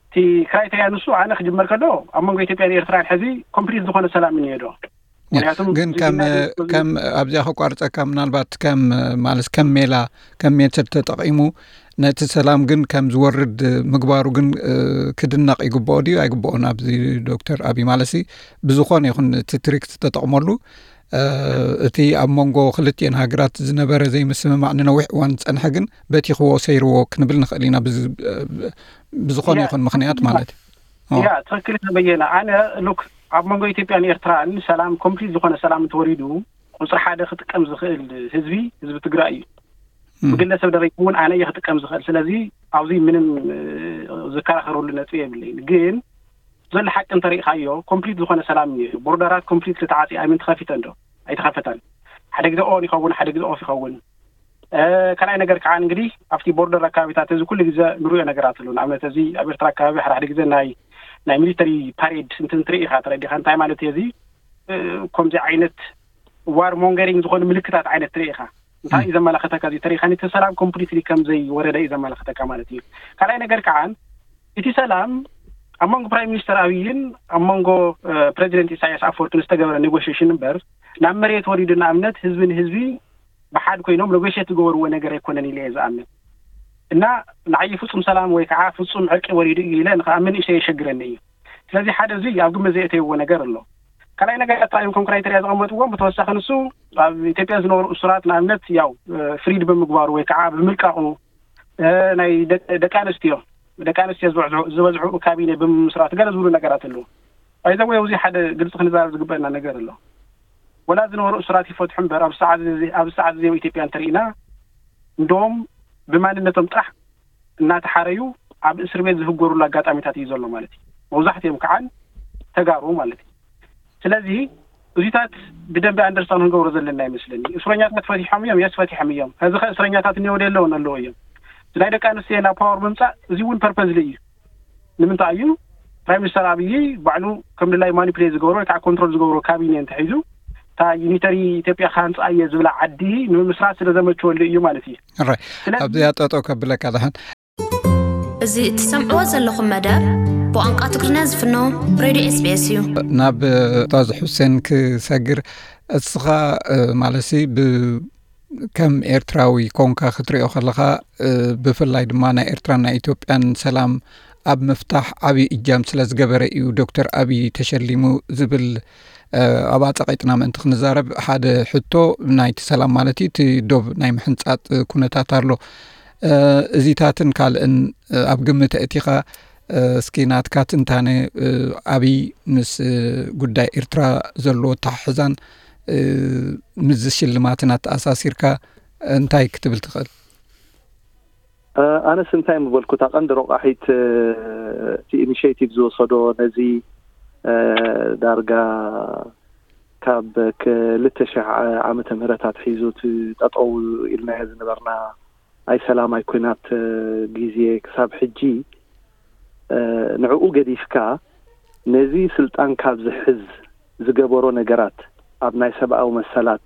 እቲ ክራይተሪያ ንሱ ኣነ ክጅመር ከሎ ኣብ መንጎ ኢትዮጵያን ኤርትራን ሕዚ ኮምፕሊት ዝኾነ ሰላም እኒሄ ዶ? ምክንያቱም ግን ከም ከም ኣብዚኣ ከቋርፀካ ምናልባት ከም ማለት ከም ሜላ ከም ሜተድ ተጠቂሙ ነቲ ሰላም ግን ከም ዝወርድ ምግባሩ ግን ክድነቕ ይግብኦ ድዩ ኣይግብኦን? ኣብዚ ዶክተር ኣብይ ማለሲ ብዝኾነ ይኹን እቲ ትሪክት ተጠቕመሉ እቲ ኣብ መንጎ ክልቲኤን ሃገራት ዝነበረ ዘይምስምማዕ ንነዊሕ እዋን ዝፀንሐ ግን በቲኽዎ ሰይርዎ ክንብል ንኽእል ኢና። ብዝኾነ ይኹን ምኽንያት ማለት እዩ። ያ ትኽክል ተበየነ። ኣነ ሉክ ኣብ መንጎ ኢትዮጵያን ኤርትራን ሰላም ኮምፕሊት ዝኾነ ሰላም እንተወሪዱ ቁፅሪ ሓደ ክጥቀም ዝኽእል ህዝቢ ህዝቢ ትግራይ እዩ። ብግለሰብ ደረጃ እውን ኣነ እየ ክጥቀም ዝኽእል። ስለዚ ኣብዚ ምንም ዝከራኸረሉ ነጥቢ የብለይን። ግን ዘሎ ሓቂ እንተሪእኻዮ ኮምፕሊት ዝኾነ ሰላም እዩ። ቦርደራት ኮምፕሊት ተዓፂ ኣይምን ተኸፊተን ዶ ኣይተኸፈተን? ሓደ ግዜ ኦን ይኸውን፣ ሓደ ግዜ ኦፍ ይኸውን። ካልኣይ ነገር ከዓ እንግዲህ ኣብቲ ቦርደር ኣካባቢታት እዚ ኩሉ ግዜ ንሪኦ ነገራት ኣሎ። ንኣብነት እዚ ኣብ ኤርትራ ኣካባቢ ሓደ ሓደ ግዜ ናይ ናይ ሚሊተሪ ፓሬድ እንትን ትርኢ ኢኻ፣ ተረዲኻ? እንታይ ማለት እዩ እዚ? ከምዚ ዓይነት ዋር ሞንገሪንግ ዝኾኑ ምልክታት ዓይነት ትርኢ ኢኻ። እንታይ እዩ ዘመላኸተካ? እዚ ተሪኻ ነቲ ሰላም ኮምፕሊትሊ ከም ዘይወረደ እዩ ዘመላኸተካ ማለት እዩ። ካልኣይ ነገር ከዓ እቲ ሰላም ኣብ መንጎ ፕራይም ሚኒስተር ኣብይን ኣብ መንጎ ፕሬዚደንት ኢሳያስ ኣፈወርቅን ዝተገበረ ኔጎሽሽን እምበር ናብ መሬት ወሪዱ ንኣብነት ህዝቢ ንህዝቢ ብሓድ ኮይኖም ኔጎሽት ዝገበርዎ ነገር ኣይኮነን ኢለ እየ ዝኣምን። እና ንዓይ ፍጹም ሰላም ወይ ከዓ ፍጹም ዕርቂ ወሪዱ እዩ ኢለ ንክኣምን እሸ የሸግረኒ እዩ። ስለዚ ሓደ እዚ ኣብ ግምት ዘየእተይዎ ነገር ኣሎ። ካልኣይ ነገር ኣታ እዮም ከም ክራይተሪያ ዘቐመጥዎም ብተወሳኺ ንሱ ኣብ ኢትዮጵያ ዝነበሩ እሱራት ንኣብነት ያው ፍሪድ ብምግባሩ ወይ ከዓ ብምልቃቑ ናይ ደቂ ኣንስትዮ ደቂ ኣንስትዮ ዝበዝሑ ካቢኔ ብምምስራት ገለ ዝብሉ ነገራት ኣለዉ። ኣይዘ ወይ ኣብዚ ሓደ ግልፂ ክንዛረብ ዝግበአና ነገር ኣሎ። ወላ ዝነበሩ እሱራት ይፈትሑ እምበር ኣብ ሰዓት እዚ ኢትዮጵያ እንተርኢና እንደዎም ብማንነቶም ጥራሕ እናተሓረዩ ኣብ እስር ቤት ዝህጎሩሉ ኣጋጣሚታት እዩ ዘሎ ማለት እዩ። መብዛሕትኦም ከዓ ተጋሩ ማለት እዩ። ስለዚ እዚታት ብደንቢ ኣንደርስታን ክንገብሮ ዘለና ይመስለኒ። እስረኛታት ፈቲሖም እዮም፣ የስ ፈቲሖም እዮም። ሕዚ ከ እስረኛታት እኒኦ ዶ የለውን? ኣለዎ እዮም። እዚ ናይ ደቂ ኣንስትዮ ናብ ፓወር ምምፃእ እዚ እውን ፐርፐዝሊ እዩ። ንምንታይ እዩ ፕራይም ሚኒስተር ኣብይ ባዕሉ ከም ድላይ ማኒፕሌት ዝገብሮ ወይ ከዓ ኮንትሮል ዝገብሮ ካቢኔ እንተሒዙ እታ ዩኒተሪ ኢትዮጵያ ክሃንፃ እየ ዝብላ ዓዲ ንምምስራት ስለ ዘመችወሉ እዩ ማለት እዩ። ኣብዚኣ ጠጠው ከብለካ ድሓን እዚ እትሰምዕዎ ዘለኹም መደብ ብቋንቋ ትግርኛ ዝፍኖ ሬድዮ ኤስቢኤስ እዩ። ናብ ኡስታዝ ሑሴን ክሰግር፣ እስኻ ማለሲ ከም ኤርትራዊ ኮንካ ክትሪኦ ከለኻ፣ ብፍላይ ድማ ናይ ኤርትራን ናይ ኢትዮጵያን ሰላም ኣብ ምፍታሕ ዓብዪ እጃም ስለ ዝገበረ እዩ ዶክተር ኣብይ ተሸሊሙ ዝብል፣ ኣብኣ ጸቒጥና ምእንቲ ክንዛረብ፣ ሓደ ሕቶ ናይቲ ሰላም ማለት እዩ፣ እቲ ዶብ ናይ ምሕንጻጥ ኩነታት ኣሎ። እዚታትን ካልእን ኣብ ግምት ኣእቲኻ፣ እስኪ ናትካ ትንታነ፣ ኣብይ ምስ ጉዳይ ኤርትራ ዘለዎ ኣተሓሕዛን ምስዚ ሽልማትን ኣተኣሳሲርካ እንታይ ክትብል ትኽእል? ኣነስ እንታይ ምበልኩ፣ እታ ቀንዲ ረቋሒት፣ እቲ ኢኒሽቲቭ ዝወሰዶ፣ ነዚ ዳርጋ ካብ ክልተ ሽሕ ዓመተ ምህረት ኣትሒዙ እቲ ጠጠው ኢልናዮ ዝነበርና ናይ ሰላም፣ ናይ ኩናት ግዜ ክሳብ ሕጂ፣ ንዕኡ ገዲፍካ፣ ነዚ ስልጣን ካብ ዝሕዝ ዝገበሮ ነገራት፣ ኣብ ናይ ሰብኣዊ መሰላት፣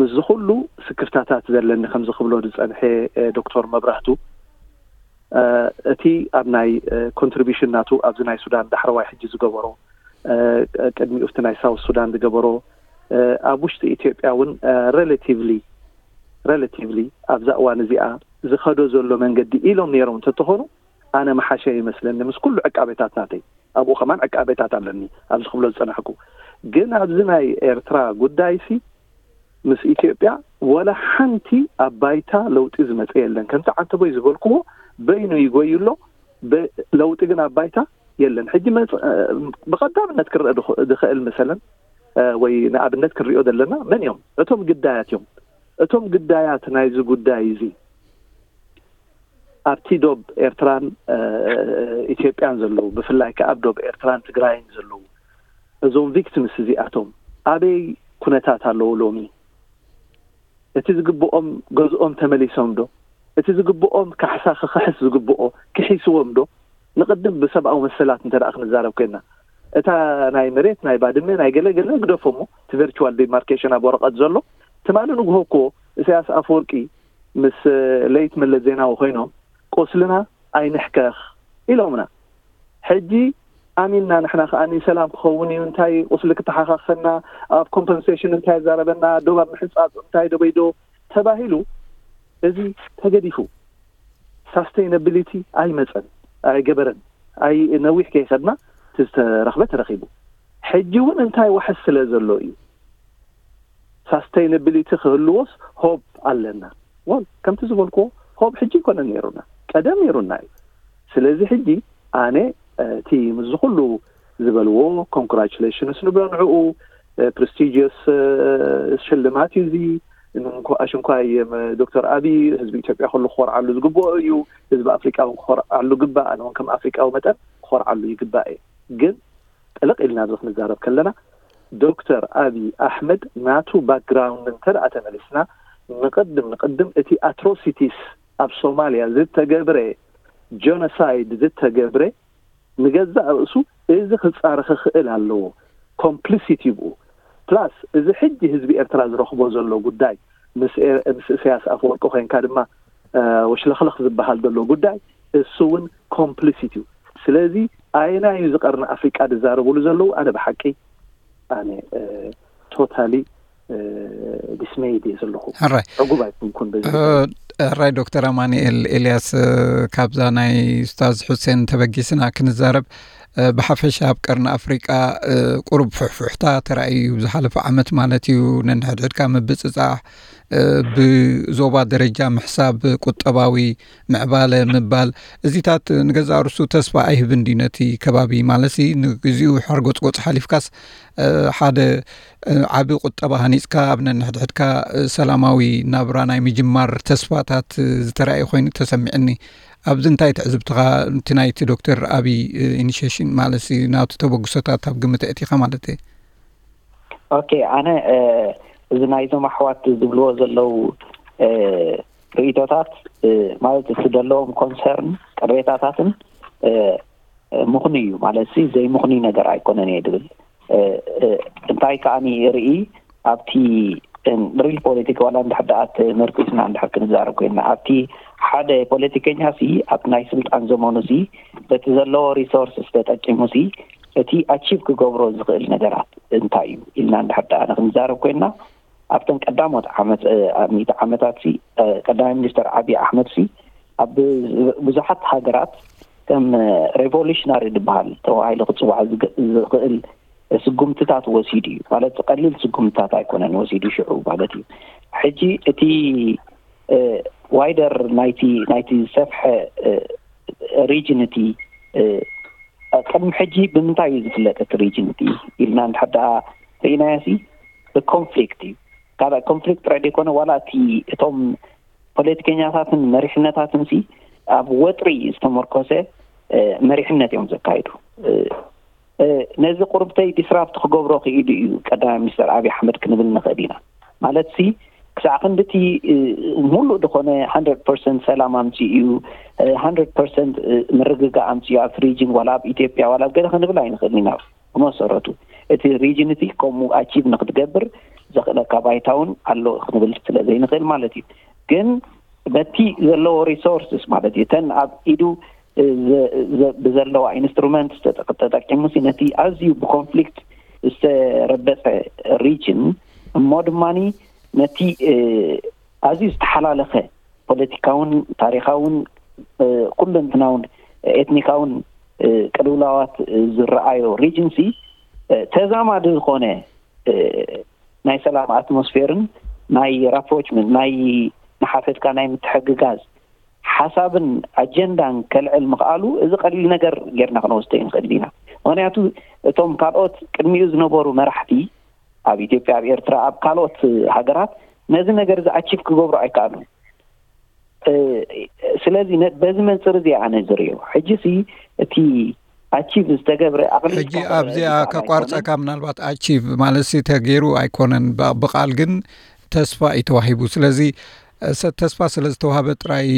ምስዚ ኩሉ ስክፍታታት ዘለኒ፣ ከምዚ ክብሎ ዝጸንሐ ዶክተር መብራህቱ፣ እቲ ኣብ ናይ ኮንትሪቢሽን ናቱ ኣብዚ ናይ ሱዳን ዳሕረዋይ ሕጂ ዝገበሮ፣ ቅድሚኡ ኣብቲ ናይ ሳውት ሱዳን ዝገበሮ፣ ኣብ ውሽጢ ኢትዮጵያ እውን ሬላቲቭሊ ሬላቲቭሊ ኣብዛ እዋን እዚኣ ዝኸዶ ዘሎ መንገዲ ኢሎም ነይሮም እንተተኾኑ፣ ኣነ መሓሸ ይመስለኒ፣ ምስ ኩሉ ዕቃቤታት ናተይ። ኣብኡ ከማን ዕቃቤታት ኣለኒ፣ ኣብዚ ክብሎ ዝጸናሕኩ። ግን ኣብዚ ናይ ኤርትራ ጉዳይሲ፣ ምስ ኢትዮጵያ ወላ ሓንቲ ኣብ ባይታ ለውጢ ዝመጸ የለን። ከምቲ ዓንተቦይ ዝበልክዎ፣ በይኑ ይጎይ ኣሎ፣ ለውጢ ግን ኣብ ባይታ የለን። ሕጂ ብቐዳምነት ክረአ ዝኽእል፣ መሰለን፣ ወይ ንኣብነት ክንሪኦ ዘለና፣ መን እዮም? እቶም ግዳያት እዮም። እቶም ግዳያት ናይዚ ጉዳይ እዚ ኣብቲ ዶብ ኤርትራን ኢትዮጵያን ዘለዉ፣ ብፍላይ ከኣ ኣብ ዶብ ኤርትራን ትግራይን ዘለዉ፣ እዞም ቪክቲምስ እዚኣቶም ኣበይ ኩነታት ኣለዉ ሎሚ? እቲ ዝግብኦም ገዝኦም ተመሊሶም ዶ? እቲ ዝግብኦም ካሕሳ ክኽሕስ ዝግብኦ ክሒስዎም ዶ? ንቕድም ብሰብኣዊ መሰላት እንተ ደኣ ክንዛረብ ኮይንና፣ እታ ናይ መሬት ናይ ባድመ ናይ ገለ ገለ ግደፎ እሞ፣ እቲ ቨርቹዋል ዲማርኬሽን ኣብ ወረቐት ዘሎ፣ ትማሊ ንግሆ እኮ ኢሳያስ ኣፈወርቂ ምስ ለይት መለስ ዜናዊ ኮይኖም፣ ቁስልና ኣይንሕከኽ ኢሎምና። ሕጂ ኣሚንና ንሕና ከኣ ሰላም ክኸውን እዩ፣ እንታይ ቁስሊ ክተሓኻኸና፣ ኣብ ኮምፐንሴሽን እንታይ ዛረበና፣ ዶብ ኣብ ምሕንጻጽ እንታይ ደበይዶ ተባሂሉ፣ እዚ ተገዲፉ። ሳስተይነብሊቲ ኣይመጸን፣ ኣይገበረን፣ ኣይ ነዊሕ ከይኸድና እቲ ዝተረኽበ ተረኺቡ። ሕጂ እውን እንታይ ዋሕስ ስለ ዘሎ እዩ። ሳስተይነብሊቲ ክህልዎስ ሆፕ ኣለና። ወል ከምቲ ዝበልክዎ፣ ሆፕ ሕጂ ይኮነ ነይሩና፣ ቀደም ነይሩና እዩ። ስለዚ ሕጂ ኣነ እቲ ምስዚ ኩሉ ዝበልዎ፣ ኮንግራቹሌሽንስ ንብሎ ንዕኡ፣ ፕሬስቲጂየስ ሽልማት እዩ እዚ። እንኳ- ኣሽንኳይ ም- ዶክተር ኣብይ፣ ህዝቢ ኢትዮጵያ ኩሉ ክኾርዓሉ ዝግብኦ እዩ። ህዝቢ ኣፍሪቃ እውን ክኾርዓሉ ግባእ። ኣነ እውን ከም ኣፍሪቃዊ መጠን ክኾርዓሉ ይግባእ እየ። ግን ጥልቕ ኢልና ኣብዚ ክንዛረብ ከለና፣ ዶክተር ኣብይ ኣሕመድ ናቱ ባክግራውንድ እንተ ደኣ ተመሊስና፣ ንቕድም ንቕድም እቲ ኣትሮሲቲስ ኣብ ሶማልያ ዝተገብረ፣ ጀኖሳይድ ዝተገብረ፣ ንገዛእ ርእሱ እዚ ክጻረ ክኽእል ኣለዎ። ኮምፕሊሲት እዩ ብኡ። ፕላስ እዚ ሕጂ ህዝቢ ኤርትራ ዝረኽቦ ዘሎ ጉዳይ፣ ምስ ኤ- ምስ ኢሳያስ ኣፈወርቂ ኮይንካ ድማ፣ ወሽለኽለኽ ዝበሃል ዘሎ ጉዳይ፣ እሱ እውን ኮምፕሊሲት እዩ። ስለዚ ኣየናይ እዩ እዚ ቀርኒ ኣፍሪቃ ዝዛረብሉ ዘለዉ? ኣነ ብሓቂ ኣነ ቶታሊ ዲስሜይድ እየ ዘለኹ። ሕራይ። ዕጉብ ኣይኮንኩን በዚ። ሕራይ ዶክተር ኣማኑኤል ኤልያስ፣ ካብዛ ናይ ኡስታዝ ሑሴን ተበጊስና ክንዛረብ፣ ብሓፈሻ ኣብ ቀርኒ ኣፍሪቃ ቁሩብ ፍሕፍሕታ ተራእዩ እዩ፣ ዝሓለፈ ዓመት ማለት እዩ። ነንሕድሕድካ ምብጽጻሕ፣ ብዞባ ደረጃ ምሕሳብ፣ ቁጠባዊ ምዕባለ ምባል፣ እዚታት ንገዛእ ርእሱ ተስፋ ኣይህብን ድዩ ነቲ ከባቢ? ማለትሲ ንግዚኡ ሓርጎጽጎጽ ሓሊፍካስ፣ ሓደ ዓቢ ቁጠባ ሃኒጽካ ኣብ ነንሕድሕድካ ሰላማዊ ናብራ ናይ ምጅማር ተስፋታት ዝተራእየ ኮይኑ ተሰሚዕኒ። ኣብዚ እንታይ ትዕዝብትኻ፣ እቲ ናይቲ ዶክተር ኣብይ ኢኒሽሽን ማለትሲ ናቱ ተበግሶታት ኣብ ግምት ኣእቲኻ ማለት እየ? ኦኬ፣ ኣነ እዚ ናይዞም ኣሕዋት ዝብልዎ ዘለዉ ርእይቶታት፣ ማለት እቲ ዘለዎም ኮንሰርን ቅሬታታትን ምኽኑይ እዩ። ማለት ሲ ዘይምኽኑይ ነገር ኣይኮነን እየ ድብል። እንታይ ከኣ ርኢ፣ ኣብቲ ሪል ፖለቲካ ዋላ እንድሕር ደኣ ተመርኪስና እንድሕር ክንዛረብ ኮይንና፣ ኣብቲ ሓደ ፖለቲከኛ ሲ ኣብ ናይ ስልጣን ዘመኑ ሲ በቲ ዘለዎ ሪሶርስ ተጠቂሙ ሲ እቲ ኣቺቭ ክገብሮ ዝኽእል ነገራት እንታይ እዩ ኢልና እንድሕር ደኣ ንክንዛረብ ኮይንና፣ ኣብተን ቀዳሞት ዓመት ሚእቲ ዓመታት ሲ ቀዳማይ ሚኒስተር ዓብዪ ኣሕመድ ሲ ኣብ ብዙሓት ሃገራት ከም ሬቮሉሽናሪ ዝበሃል ተባሂሉ ክፅዋዕ ዝኽእል ስጉምትታት ወሲዱ እዩ። ማለት ቀሊል ስጉምትታት ኣይኮነን ወሲዱ ሽዑ ማለት እዩ። ሕጂ እቲ ዋይደር ናይቲ ናይቲ ዝሰፍሐ ሪጅን እቲ ቅድሚ ሕጂ ብምንታይ እዩ ዝፍለጥ እቲ ሪጅን እቲ ኢልና እንድሕር ደኣ ርኢናዮ ሲ ብኮንፍሊክት እዩ። ካልእ ኮንፍሊክት ጥራይ ዘይኮነ ዋላ እቲ እቶም ፖለቲከኛታትን መሪሕነታትን ሲ ኣብ ወጥሪ ዝተመርኮሰ መሪሕነት እዮም ዘካይዱ። ነዚ ቁርብተይ ዲስራፕት ክገብሮ ክኢሉ እዩ ቀዳማይ ሚኒስተር ኣብይ ኣሕመድ ክንብል ንኽእል ኢና። ማለት ሲ ክሳዕ ክንድቲ ሙሉእ ዝኾነ ሃንድረድ ፐርሰንት ሰላም ኣምፅኡ እዩ፣ ሃንድረድ ፐርሰንት ምርግጋእ ኣምፅኡ ኣብቲ ሪጅን ዋላ ኣብ ኢትዮጵያ ዋላ ኣብ ገለ ክንብል ኣይንኽእልን ኢና። ብመሰረቱ እቲ ሪጅን እቲ ከምኡ ኣቺቭ ንክትገብር ዘኽእለካ ባይታ እውን ኣሎ ክንብል ስለ ዘይንኽእል ማለት እዩ። ግን በቲ ዘለዎ ሪሶርስስ ማለት እዩ እተን ኣብ ኢዱ ብዘለዋ ኢንስትሩመንት ተጠቂሙ ነቲ ኣዝዩ ብኮንፍሊክት ዝተረበፀ ሪጅን እሞ ድማ ነቲ ኣዝዩ ዝተሓላለኸ ፖለቲካውን ታሪካውን ኩለንትናውን ኤትኒካውን ቅልውላዋት ዝረኣዮ ሪጅንሲ ተዛማዲ ዝኾነ ናይ ሰላም ኣትሞስፌርን ናይ ራፕሮችመንት ናይ ንሓፈትካ ናይ ምትሕግጋዝ ሓሳብን ኣጀንዳን ከልዕል ምኽኣሉ እዚ ቀሊል ነገር ጌርና ክንወስዶ ይንኽእል ኢና። ምኽንያቱ እቶም ካልኦት ቅድሚኡ ዝነበሩ መራሕቲ ኣብ ኢትዮጵያ፣ ኣብ ኤርትራ፣ ኣብ ካልኦት ሃገራት ነዚ ነገር እዚ ኣቺቭ ክገብሩ ኣይከኣሉን። ስለዚ በዚ መንፅር እዚ ኣነ ዝርእዮ ሕጂ ሲ እቲ ኣቺቭ ዝተገብረ ኣቕሊልካ ሕጂ ኣብዚኣ ከቋርፀካ ምናልባት ኣቺቭ ማለት ሲ ተገይሩ ኣይኮነን ብቃል ግን ተስፋ እዩ ተዋሂቡ። ስለዚ ተስፋ ስለ ዝተዋህበ ጥራይ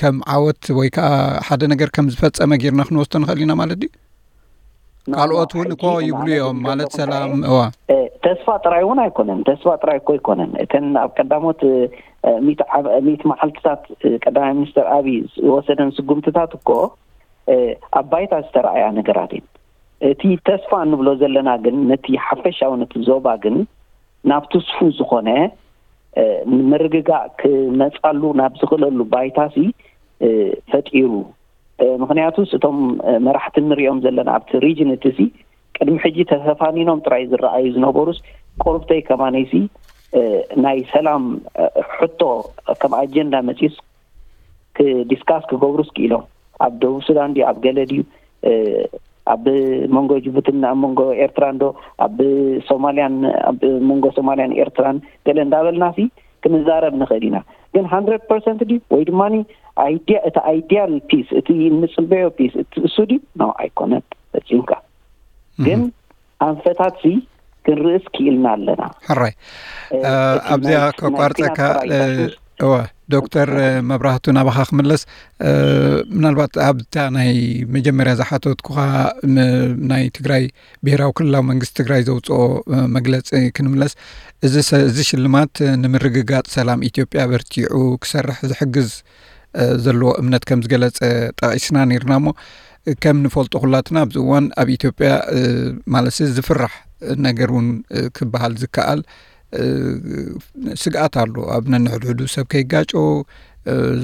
ከም ዓወት ወይ ከዓ ሓደ ነገር ከም ዝፈፀመ ጌርና ክንወስዶ ንኽእል ኢና ማለት ድዩ? ካልኦት እውን እኮ ይብሉ እዮም ማለት ሰላም እዋ ተስፋ ጥራይ እውን ኣይኮነን። ተስፋ ጥራይ እኮ ኣይኮነን። እተን ኣብ ቀዳሞት ሚእቲ መዓልትታት ቀዳማይ ሚኒስተር ኣብይ ዝወሰደን ስጉምትታት እኮ ኣብ ባይታ ዝተረኣያ ነገራት እየን። እቲ ተስፋ እንብሎ ዘለና ግን ነቲ ሓፈሻዊ ነቲ ዞባ ግን ናብ ትስፉ ዝኾነ ምርግጋእ ክመፃሉ ናብ ዝኽእለሉ ባይታሲ ፈጢሩ። ምኽንያቱስ እቶም መራሕቲ እንሪኦም ዘለና ኣብቲ ሪጅን እቲ ሲ ቅድሚ ሕጂ ተተፋኒኖም ጥራይ ዝረኣዩ ዝነበሩስ ቁርብተይ ከማነይሲ ናይ ሰላም ሕቶ ከም ኣጀንዳ መፂስ ክዲስካስ ክገብሩስ ክኢሎም ኣብ ደቡብ ሱዳን ድዩ ኣብ ገለ ድዩ ኣብ መንጎ ጅቡትን ኣብ መንጎ ኤርትራን ዶ ኣብ ሶማልያን ኣብ መንጎ ሶማልያን ኤርትራን ገለ እንዳበልና ሲ ክንዛረብ ንኽእል ኢና። ግን ሃንድረድ ፐርሰንት ድዩ ወይ ድማ ኣይዲያ እቲ ኣይዲያል ፒስ እቲ እንፅበዮ ፒስ እቲ እሱ ድዩ? ኖ ኣይኮነን። ፈፂምካ ግን ኣንፈታት ሲ ክንርእስ ክኢልና ኣለና። ሕራይ ኣብዚኣ ከቋርፀካ እወ ዶክተር መብራህቱ ናባኻ ክምለስ ምናልባት ኣብታ ናይ መጀመርያ ዝሓተትኩኻ ናይ ትግራይ ብሄራዊ ክልላዊ መንግስቲ ትግራይ ዘውፅኦ መግለፂ ክንምለስ እዚ ሽልማት ንምርግጋፅ ሰላም ኢትዮጵያ በርቲዑ ክሰርሕ ዝሕግዝ ዘለዎ እምነት ከም ዝገለፀ ጠቒስና ነርና እሞ ከም ንፈልጦ ኩላትና ኣብዚ እዋን ኣብ ኢትዮጵያ ማለት ዝፍራሕ ነገር እውን ክበሃል ዝከኣል ስግኣት ኣሎ። ኣብ ነንሕድሕዱ ሰብ ከይጋጮ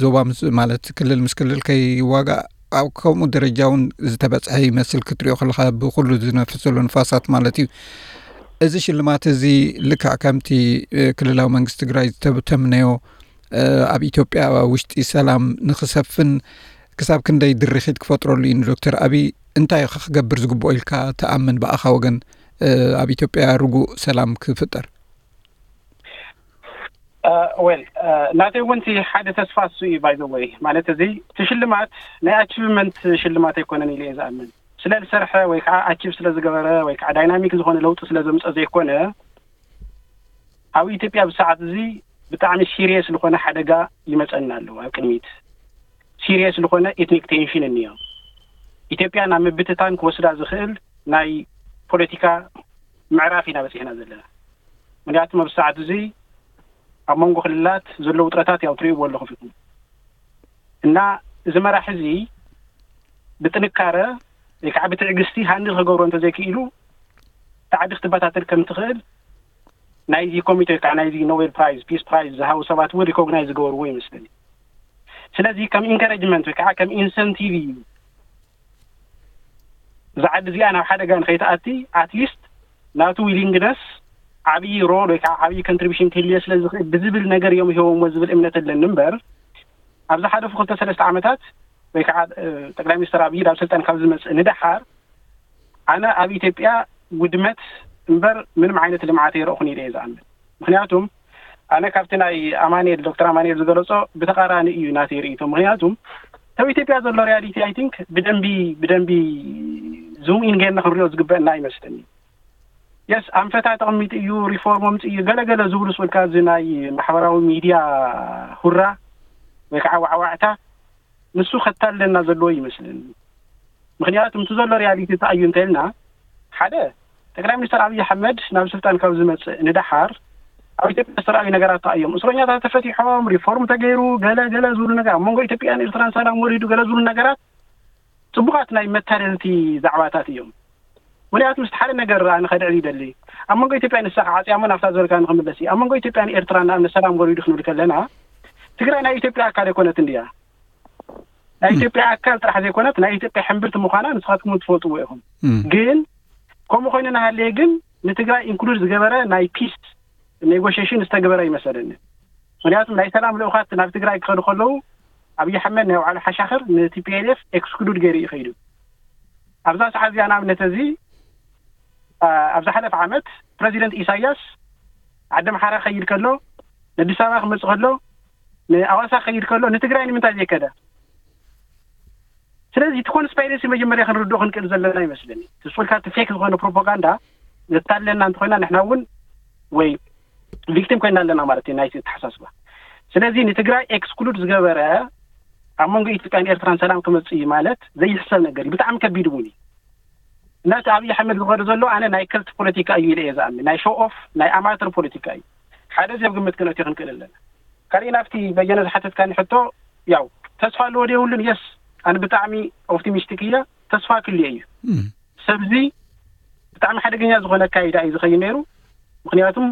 ዞባ ማለት ክልል ምስ ክልል ከይዋጋእ ኣብ ከምኡ ደረጃ እውን ዝተበፅሐ ይመስል ክትሪኦ ከለካ ብኩሉ ዝነፍስ ዘሎ ንፋሳት ማለት እዩ። እዚ ሽልማት እዚ ልክዕ ከምቲ ክልላዊ መንግስቲ ትግራይ ዝተተምነዮ ኣብ ኢትዮጵያ ውሽጢ ሰላም ንክሰፍን ክሳብ ክንደይ ድርኺት ክፈጥረሉ እዩ ንዶክተር ኣብይ እንታይ ክገብር ዝግብኦ ኢልካ ትኣምን ብኣኻ ወገን ኣብ ኢትዮጵያ ርጉእ ሰላም ክፍጠር? ወል ናተይ እውን እቲ ሓደ ተስፋ እሱ እዩ ባይዘወይ ማለት እዚ እቲ ሽልማት ናይ ኣቺቭመንት ሽልማት ኣይኮነን ኢለ እየ ዝኣምን። ስለ ዝሰርሐ ወይ ከዓ ኣቺቭ ስለ ዝገበረ ወይ ከዓ ዳይናሚክ ዝኾነ ለውጢ ስለ ዘምፀ ዘይኮነ ኣብ ኢትዮጵያ ብሰዓት እዚ ብጣዕሚ ሲሪየስ ዝኾነ ሓደጋ ይመፀና ኣለዎ ኣብ ቅድሚት ሲሪየስ ዝኾነ ኤትኒክ ቴንሽን እኒኦ ኢትዮጵያ ናብ ምብትታን ክወስዳ ዝኽእል ናይ ፖለቲካ ምዕራፍ ኢና በፂሕና ዘለና። ምክንያቱም ኣብ ሰዓት እዚ ኣብ መንጎ ክልላት ዘሎ ውጥረታት ያው ትሪእዎ ኣለኹም ኢኹም። እና እዚ መራሒ እዚ ብጥንካረ ወይ ከዓ ብትዕግስቲ ሃንድል ክገብሮ እንተዘይክኢሉ፣ እታ ዓዲ ክትበታተን ከም ትኽእል ናይዚ ኮሚቴ ወይ ከዓ ናይዚ ኖቤል ፕራይዝ፣ ፒስ ፕራይዝ ዝሃቡ ሰባት እውን ሪኮግናይዝ ዝገበርዎ ይመስለኒ። ስለዚ ከም ኢንካሬጅመንት ወይ ከዓ ከም ኢንሰንቲቭ እዩ እዛ ዓዲ እዚኣ ናብ ሓደጋ ንኸይትኣቲ፣ ኣትሊስት ናቱ ዊሊንግነስ ዓብዪ ሮል ወይ ከዓ ዓብዪ ኮንትሪቢሽን ክህልዮ ስለ ዝኽእል ብዝብል ነገር እዮም ሂቦምዎ ዝብል እምነት ኣለኒ እምበር፣ ኣብ ዝሓለፉ ክልተ ሰለስተ ዓመታት ወይ ከዓ ጠቅላይ ሚኒስትር ኣብይ ናብ ስልጣን ካብ ዝመፅእ ንደሓር ኣነ ኣብ ኢትዮጵያ ውድመት እምበር ምንም ዓይነት ልምዓት ኣይረእኹን ኢለ እየ ዝኣምን። ምክንያቱም ኣነ ካብቲ ናይ ኣማንኤል፣ ዶክተር ኣማንኤል ዝገለጾ ብተቓራኒ እዩ ናተይ ርእይቶ። ምክንያቱም ኣብ ኢትዮጵያ ዘሎ ሪያሊቲ፣ ኣይ ቲንክ፣ ብደንቢ ብደንቢ ዙም ኢን ጌርና ክንሪኦ ዝግበአና ኣይመስለኒ። የስ፣ ኣንፈታ ተቐሚጡ እዩ፣ ሪፎርም ኣምጽእ እዩ፣ ገለገለ ዝብሉ ስብልካ፣ እዚ ናይ ማሕበራዊ ሚድያ ሁራ ወይ ከዓ ዋዕዋዕታ፣ ንሱ ከታልለና ዘለዎ ይመስለኒ። ምክንያቱ እቲ ዘሎ ሪያሊቲ እንታይ እዩ እንተልና፣ ሓደ፣ ጠቅላይ ሚኒስትር ኣብይ ኣሕመድ ናብ ስልጣን ካብ ዝመፅእ ንደሓር ኣብ ኢትዮጵያ ዝተረኣዩ ነገራት እንታይ እዮም? እስረኛታት ተፈቲሖም፣ ሪፎርም ተገይሩ፣ ገለ ገለ ዝብሉ ነገር፣ ኣብ መንጎ ኢትዮጵያን ኤርትራን ሰላም ወሪዱ፣ ገለ ዝብሉ ነገራት ፅቡቃት ናይ መታለልቲ ዛዕባታት እዮም። ምክንያቱ ምስቲ ሓደ ነገር ኣነ ከድዕል ይደሊ። ኣብ መንጎ ኢትዮጵያ ንሳ ክዓፅያ እሞ ናብታ ዝበልካ ንክምለስ እዩ። ኣብ መንጎ ኢትዮጵያን ኤርትራን ንኣብነት ሰላም ወሪዱ ክንብል ከለና፣ ትግራይ ናይ ኢትዮጵያ ኣካል ኣይኮነትን ድያ? ናይ ኢትዮጵያ ኣካል ጥራሕ ዘይኮነት ናይ ኢትዮጵያ ሕምብርቲ ምዃና ንስኻትኩም ትፈልጥዎ ኢኹም። ግን ከምኡ ኮይኑ እናሃለየ ግን ንትግራይ ኢንክሉድ ዝገበረ ናይ ፒስ ኔጎሽሽን ዝተገበረ ይመሰለኒ። ምክንያቱም ናይ ሰላም ልኡኻት ናብ ትግራይ ክኸዱ ከለዉ ኣብይ ኣሕመድ ናይ ባዕሉ ሓሻኽር ንቲ ፒ ኤል ኤፍ ኤክስክሉድ ገይሩ እዩ ከይዱ። ኣብዛ ሰዓት እዚኣ ንኣብነት እዚ ኣብ ዝሓለፈ ዓመት ፕረዚደንት ኢሳያስ ዓዲ ኣምሓራ ክኸይድ ከሎ፣ ንኣዲስ ኣበባ ክመፅእ ከሎ፣ ንኣዋሳ ክኸይድ ከሎ ንትግራይ ንምንታይ ዘይከደ? ስለዚ እቲ ኮንስፓይረሲ መጀመርያ ክንርድኦ ክንክእል ዘለና ይመስለኒ። ስስልካ እቲ ፌክ ዝኾነ ፕሮፓጋንዳ ዘታለና እንተኮይና ንሕና እውን ወይ ቪክቲም ኮይና ኣለና ማለት እዩ ናይቲ ኣተሓሳስባ። ስለዚ ንትግራይ ኤክስክሉድ ዝገበረ ኣብ መንጎ ኢትዮጵያን ኤርትራን ሰላም ክመፅእ እዩ ማለት ዘይሕሰብ ነገር እዩ። ብጣዕሚ ከቢድ እውን እዩ። እናቲ ኣብይ ኣሕመድ ዝኸዶ ዘሎ ኣነ ናይ ከልት ፖለቲካ እዩ ኢለ እየ ዝኣምን። ናይ ሾው ኦፍ ናይ ኣማተር ፖለቲካ እዩ። ሓደ እዚ ኣብ ግምት ክነእትዮ ክንክእል ኣለና። ካልእ ናብቲ በየነ ዝሓተትካኒ ሕቶ ያው ተስፋ ኣለዎ ዶ የብሉን? የስ፣ ኣነ ብጣዕሚ ኦፕቲሚስቲክ እየ። ተስፋ ክልየ እዩ። ሰብዚ ብጣዕሚ ሓደገኛ ዝኾነ ኣካይዳ እዩ ዝኸይድ ነይሩ። ምክንያቱም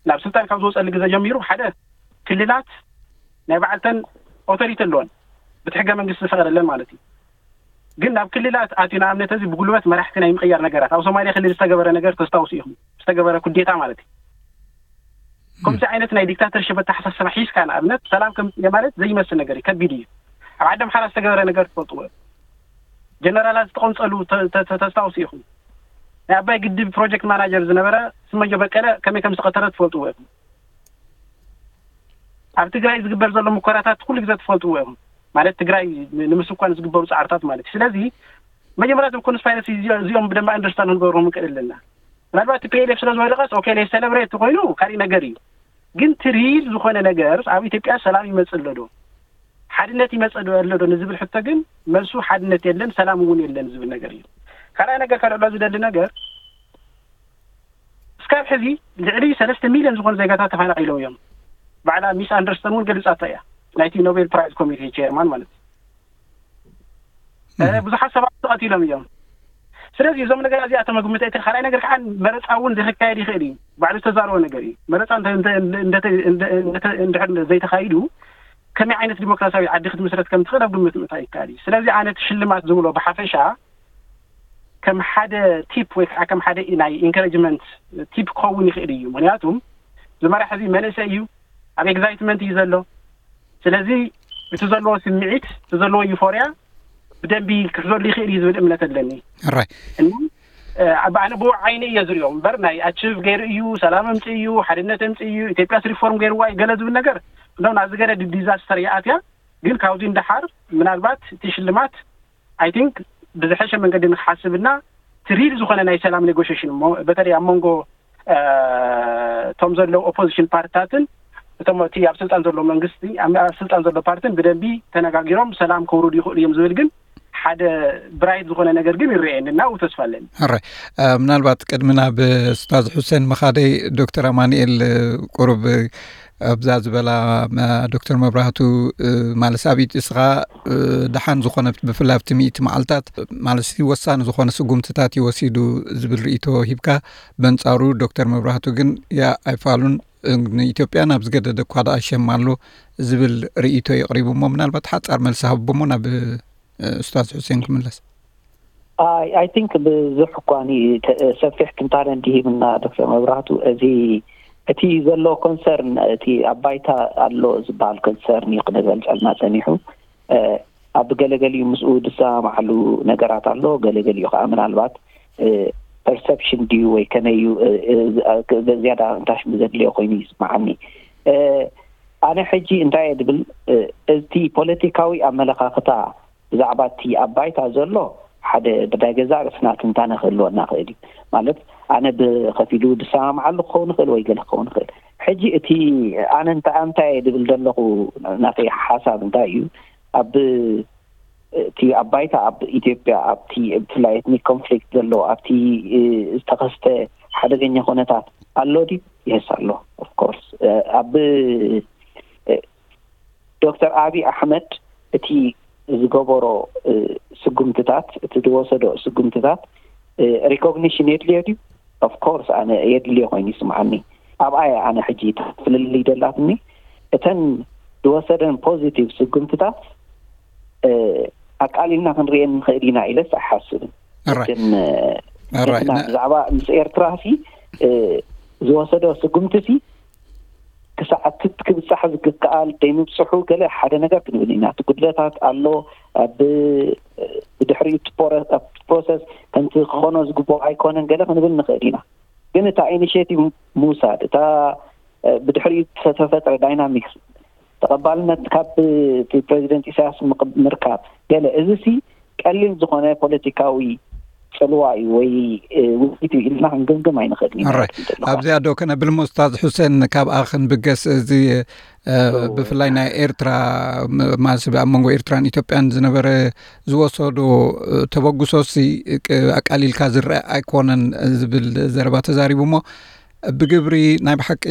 ናብ ስልጣን ካብ ዝወፀሉ ግዜ ጀሚሩ ሓደ ክልላት ናይ ባዕልተን ኦቶሪቲ ኣለወን፣ ብቲ ሕገ መንግስቲ ዝፈቀደለን ማለት እዩ። ግን ናብ ክልላት ኣትዩ ንኣብነት እዚ ብጉልበት መራሕቲ ናይ ምቕያር ነገራት ኣብ ሶማሌ ክልል ዝተገበረ ነገር ተስታውሱ ኢኹም፣ ዝተገበረ ኩዴታ ማለት እዩ። ከምዚ ዓይነት ናይ ዲክታተርሽፕ ኣተሓሳስባ ሒዝካ ንኣብነት ሰላም ከምፅእ ማለት ዘይመስል ነገር እዩ፣ ከቢድ እዩ። ኣብ ዓዲ ኣምሓራ ዝተገበረ ነገር ትፈልጥዎ። ጀነራላት ዝተቐምፀሉ ተስታውሱ ኢኹም። ናይ ኣባይ ግድብ ፕሮጀክት ማናጀር ዝነበረ ስመዮ በቀለ ከመይ ከም ዝተቐተለ ትፈልጥዎ ኢኹም። ኣብ ትግራይ ዝግበር ዘሎ ሙከራታት ኩሉ ግዜ ትፈልጥዎ ኢኹም። ማለት ትግራይ ንምስኳን ዝግበሩ ፃዕርታት ማለት እዩ። ስለዚ መጀመርያ እዞም ኮንስፓይረሲ እዚኦም ብደንብ ኣንደርስታንድ ክንገብሮም ንክእል ኣለና። ምናልባት ቲ ፒ ኤል ኤፍ ስለ ዝወደቀስ ኦኬ ናይ ሰለብሬት ኮይኑ ካሊእ ነገር እዩ። ግን ትሪል ዝኾነ ነገር ኣብ ኢትዮጵያ ሰላም ይመፅእ ኣሎ ዶ? ሓድነት ይመፅእ ዶ ኣሎ ዶ ንዝብል ሕቶ ግን መልሱ ሓድነት የለን፣ ሰላም እውን የለን ዝብል ነገር እዩ። ካልኣይ ነገር ከልዕሎ ዝደሊ ነገር እስካብ ሕዚ ልዕሊ ሰለስተ ሚልዮን ዝኾኑ ዜጋታት ተፈናቒሎም እዮም። ባዕላ ሚስ ኣንደርስተን እውን ገሊፃቶ እያ፣ ናይቲ ኖቤል ፕራይዝ ኮሚቴ ቸርማን ማለት እዩ። ብዙሓት ሰባት ተቐቲሎም እዮም። ስለዚ እዞም ነገር እዚኣቶም መግምት እቲ ካልኣይ ነገር ከዓ መረፃ እውን ዘይክካየድ ይኽእል እዩ። ባዕሉ ዝተዛረቦ ነገር እዩ። መረፃ እንድሕር ዘይተኻይዱ ከመይ ዓይነት ዲሞክራሲያዊ ዓዲ ክትምስረት ከም ትኽእል ኣብ ግምት ምእታ ይካል እዩ። ስለዚ ኣነ እቲ ሽልማት ዝብሎ ብሓፈሻ ከም ሓደ ቲፕ ወይ ከዓ ከም ሓደ ናይ ኢንካሬጅመንት ቲፕ ክኸውን ይኽእል እዩ። ምክንያቱም ዝመራሕ እዚ መንእሰይ እዩ፣ ኣብ ኤግዛይትመንት እዩ ዘሎ። ስለዚ እቲ ዘለዎ ስምዒት፣ እቲ ዘለዎ ዩፎርያ ብደንቢ ክሕዘሉ ይኽእል እዩ ዝብል እምነት ኣለኒ። ራይ እና ኣብ ኣነ ብኡ ዓይኒ እየ ዝሪኦ እምበር ናይ ኣችቭ ገይሩ እዩ፣ ሰላም ኣምፅእ እዩ፣ ሓድነት ኣምፅእ እዩ፣ ኢትዮጵያስ ሪፎርም ገይርዋ እዩ ገለ ዝብል ነገር እንደው ናዚ ገለ ዲዛስተር ይኣትያ። ግን ካብዚ እንደሓር ምናልባት እቲ ሽልማት ኣይ ቲንክ ብዝሐሸ መንገዲ ንክሓስብና ትሪል ዝኾነ ናይ ሰላም ኔጎሽሽን በተለይ ኣብ መንጎ እቶም ዘለዉ ኦፖዚሽን ፓርትታትን እቶም እቲ ኣብ ስልጣን ዘሎ መንግስቲ ኣብ ስልጣን ዘሎ ፓርትን ብደንቢ ተነጋጊሮም ሰላም ከውርዱ ይኽእሉ እዮም ዝብል ግን ሓደ ብራይት ዝኾነ ነገር ግን ይረኣየኒ እና ኣብኡ ተስፋ ኣለኒ። ሕራይ ምናልባት ቅድሚ ናብ ስታዝ ሑሴን ምኻደይ ዶክተር ኣማንኤል ቁሩብ ኣብዛ ዝበላ ዶክተር መብራህቱ፣ ማለት ሳቢት እስኻ ደሓን ዝኾነ፣ ብፍላይ ኣብቲ ሚእቲ መዓልታት ማለት ወሳኒ ዝኾነ ስጉምትታት ይወሲዱ ዝብል ርእይቶ ሂብካ፣ በንጻሩ ዶክተር መብራህቱ ግን ያ ኣይፋሉን፣ ንኢትዮጵያ ናብ ዝገደደ እኳ ደኣ ሸም ኣሎ ዝብል ርእይቶ የቕሪቡ እሞ ምናልባት ሓጻር መልሲ ሃብቦሞ ናብ ኡስታዝ ሑሴን ክምለስ። I think ብዙሕ እኳ ሰፊሕ ትንታነ እንዲሂብና ዶክተር መብራህቱ፣ እዚ እቲ ዘሎ ኮንሰርን፣ እቲ ኣብ ባይታ ኣሎ ዝበሃል ኮንሰርን እዩ ክነገልጸልና ጸኒሑ። ኣብ ገለገሊኡ ምስኡ ዝሰማማዓሉ ነገራት ኣሎ፣ ገለገሊኡ ከዓ ምናልባት ፐርሰፕሽን ድዩ ወይ ከመይ እዩ፣ ዝያዳ እንታሽ ዘድልዮ ኮይኑ ይስማዓኒ። ኣነ ሕጂ እንታይ እየ ድብል፣ እቲ ፖለቲካዊ ኣመለኻኽታ ብዛዕባ እቲ ኣብ ባይታ ዘሎ ሓደ ብናይ ገዛእ ርእስና ትንታነ ክህልወና ክእል እዩ። ማለት ኣነ ብኸፊሉ ዝሰማምዓሉ ክኸውን ይኽእል ወይ ገለ ክኸውን ይኽእል። ሕጂ እቲ ኣነ እንታይ እንታይ እየ ድብል ዘለኹ፣ ናተይ ሓሳብ እንታይ እዩ፣ ኣብ እቲ ኣብ ባይታ ኣብ ኢትዮጵያ ኣብቲ ብፍላይ ኤትኒክ ኮንፍሊክት ዘሎ ኣብቲ ዝተኸስተ ሓደገኛ ኩነታት ኣሎ ድዩ? የስ ኣሎ። ኦፍኮርስ ኣብ ዶክተር ኣብይ ኣሕመድ እቲ ዝገበሮ ስጉምትታት፣ እቲ ዝወሰዶ ስጉምትታት ሪኮግኒሽን የድልዮ ድዩ? ኦፍኮርስ ኣነ የድልዮ ኮይኑ ይስምዓኒ። ኣብኣ እየ ኣነ ሕጂ ፍልልይ ደላትኒ። እተን ዝወሰደን ፖዚቲቭ ስጉምትታት ኣቃሊልና ክንሪኤን ንኽእል ኢና ኢለስ ኣይሓስብን። ግን ብዛዕባ ምስ ኤርትራ ሲ ዝወሰዶ ስጉምቲ ሲ ክሳዕ ክብጻሕ ዝግከኣል ደይምብጽሑ ገለ ሓደ ነገር ክንብል ኢና። እቲ ጉድለታት ኣሎ። ኣብ ብድሕሪኡ እቲ ፕሮሰስ ከምቲ ክኾኖ ዝግብኦ ኣይኮነን ገለ ክንብል ንኽእል ኢና። ግን እታ ኢኒሽቲቭ ምውሳድ፣ እታ ብድሕሪኡ ዝተፈጥረ ዳይናሚክስ ተቐባልነት ካብ ፕሬዚደንት ኢሳያስ ምርካብ ገለ፣ እዚ ሲ ቀሊል ዝኾነ ፖለቲካዊ ጽልዋ እዩ ወይ ውፅኢት እዩ ኢልና ክንግምግም ኣይንኽእልን ኢና። ኣብዚኣ ዶ ከነብል ሞ ኡስታዝ ሑሴን፣ ካብኣ ክንብገስ፣ እዚ ብፍላይ ናይ ኤርትራ ማለት ኣብ መንጎ ኤርትራን ኢትዮጵያን ዝነበረ ዝወሰዶ ተበግሶ ሲ ኣቃሊልካ ዝረአ ኣይኮነን ዝብል ዘረባ ተዛሪቡ እሞ ብግብሪ ናይ ብሓቂ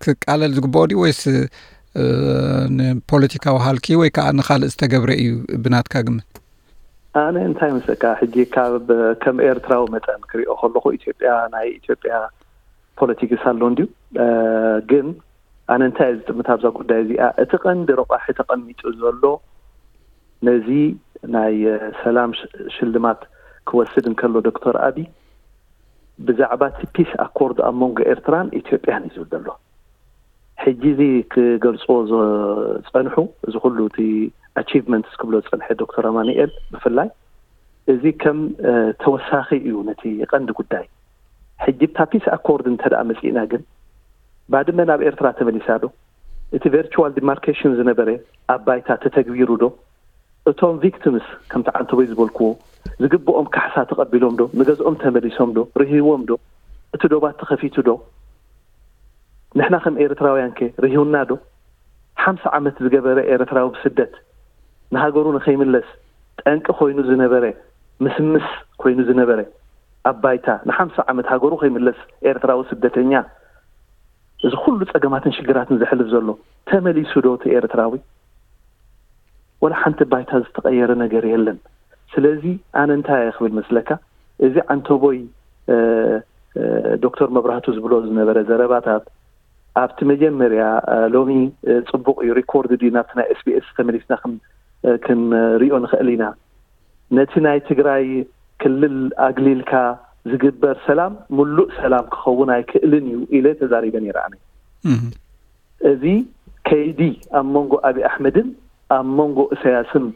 ክቃለል ዝግብኦ ድዩ ወይስ ንፖለቲካዊ ሃልኪ ወይ ከዓ ንኻልእ ዝተገብረ እዩ ብናትካ ግምት? ኣነ እንታይ መስለካ፣ ሕጂ ካብ ከም ኤርትራዊ መጠን ክሪኦ ከለኹ ኢትዮጵያ፣ ናይ ኢትዮጵያ ፖለቲክስ ኣሎ እንድዩ። ግን ኣነ እንታይ እየ ዝጥምት ኣብዛ ጉዳይ እዚኣ፣ እቲ ቀንዲ ረቋሒ ተቐሚጡ ዘሎ ነዚ ናይ ሰላም ሽልማት ክወስድ እንከሎ ዶክተር ኣቢ ብዛዕባ እቲ ፒስ ኣኮርድ ኣብ መንጎ ኤርትራን ኢትዮጵያን እዩ ዝብል ዘሎ። ሕጂ እዚ ክገልፅዎ ዝፀንሑ፣ እዚ ኩሉ እቲ ኣቺቭመንትስ ክብሎ ዝፀንሐ ዶክተር ኣማኑኤል ብፍላይ፣ እዚ ከም ተወሳኺ እዩ ነቲ ቀንዲ ጉዳይ። ሕጂ ብታ ፒስ ኣኮርድ እንተ ደኣ መፂእና ግን፣ ባድመ ናብ ኤርትራ ተመሊሳ ዶ? እቲ ቨርቹዋል ዲማርኬሽን ዝነበረ ኣብ ባይታ ተተግቢሩ ዶ? እቶም ቪክቲምስ ከምቲ ዓንተቦይ ዝበልክዎ ዝግብኦም ካሕሳ ተቐቢሎም ዶ? ንገዝኦም ተመሊሶም ዶ? ርህይዎም ዶ? እቲ ዶባት ተኸፊቱ ዶ? ንሕና ከም ኤርትራውያን ከ ርህዩና ዶ? ሓምሳ ዓመት ዝገበረ ኤርትራዊ ብስደት ንሃገሩ ንኸይምለስ ጠንቂ ኮይኑ ዝነበረ፣ ምስምስ ኮይኑ ዝነበረ ኣብ ባይታ ንሓምሳ ዓመት ሃገሩ ከይምለስ ኤርትራዊ ስደተኛ እዚ ኩሉ ጸገማትን ሽግራትን ዘሕልፍ ዘሎ ተመሊሱ ዶ እቲ ኤርትራዊ? ወላ ሓንቲ ባይታ ዝተቐየረ ነገር የለን። ስለዚ ኣነ እንታይ እየ ክብል መስለካ፣ እዚ ዓንተቦይ ዶክተር መብራህቱ ዝብሎ ዝነበረ ዘረባታት ኣብቲ መጀመርያ፣ ሎሚ ጽቡቕ እዩ ሪኮርድ ድዩ ናብቲ ናይ ኤስቢኤስ ተመሊስና ክንሪኦ ንኽእል ኢና። ነቲ ናይ ትግራይ ክልል ኣግሊልካ ዝግበር ሰላም ምሉእ ሰላም ክኸውን ኣይክእልን እዩ ኢለ ተዛሪበ ነይረ ኣነ። እዚ ከይዲ ኣብ መንጎ ኣብይ ኣሕመድን ኣብ መንጎ እሰያስን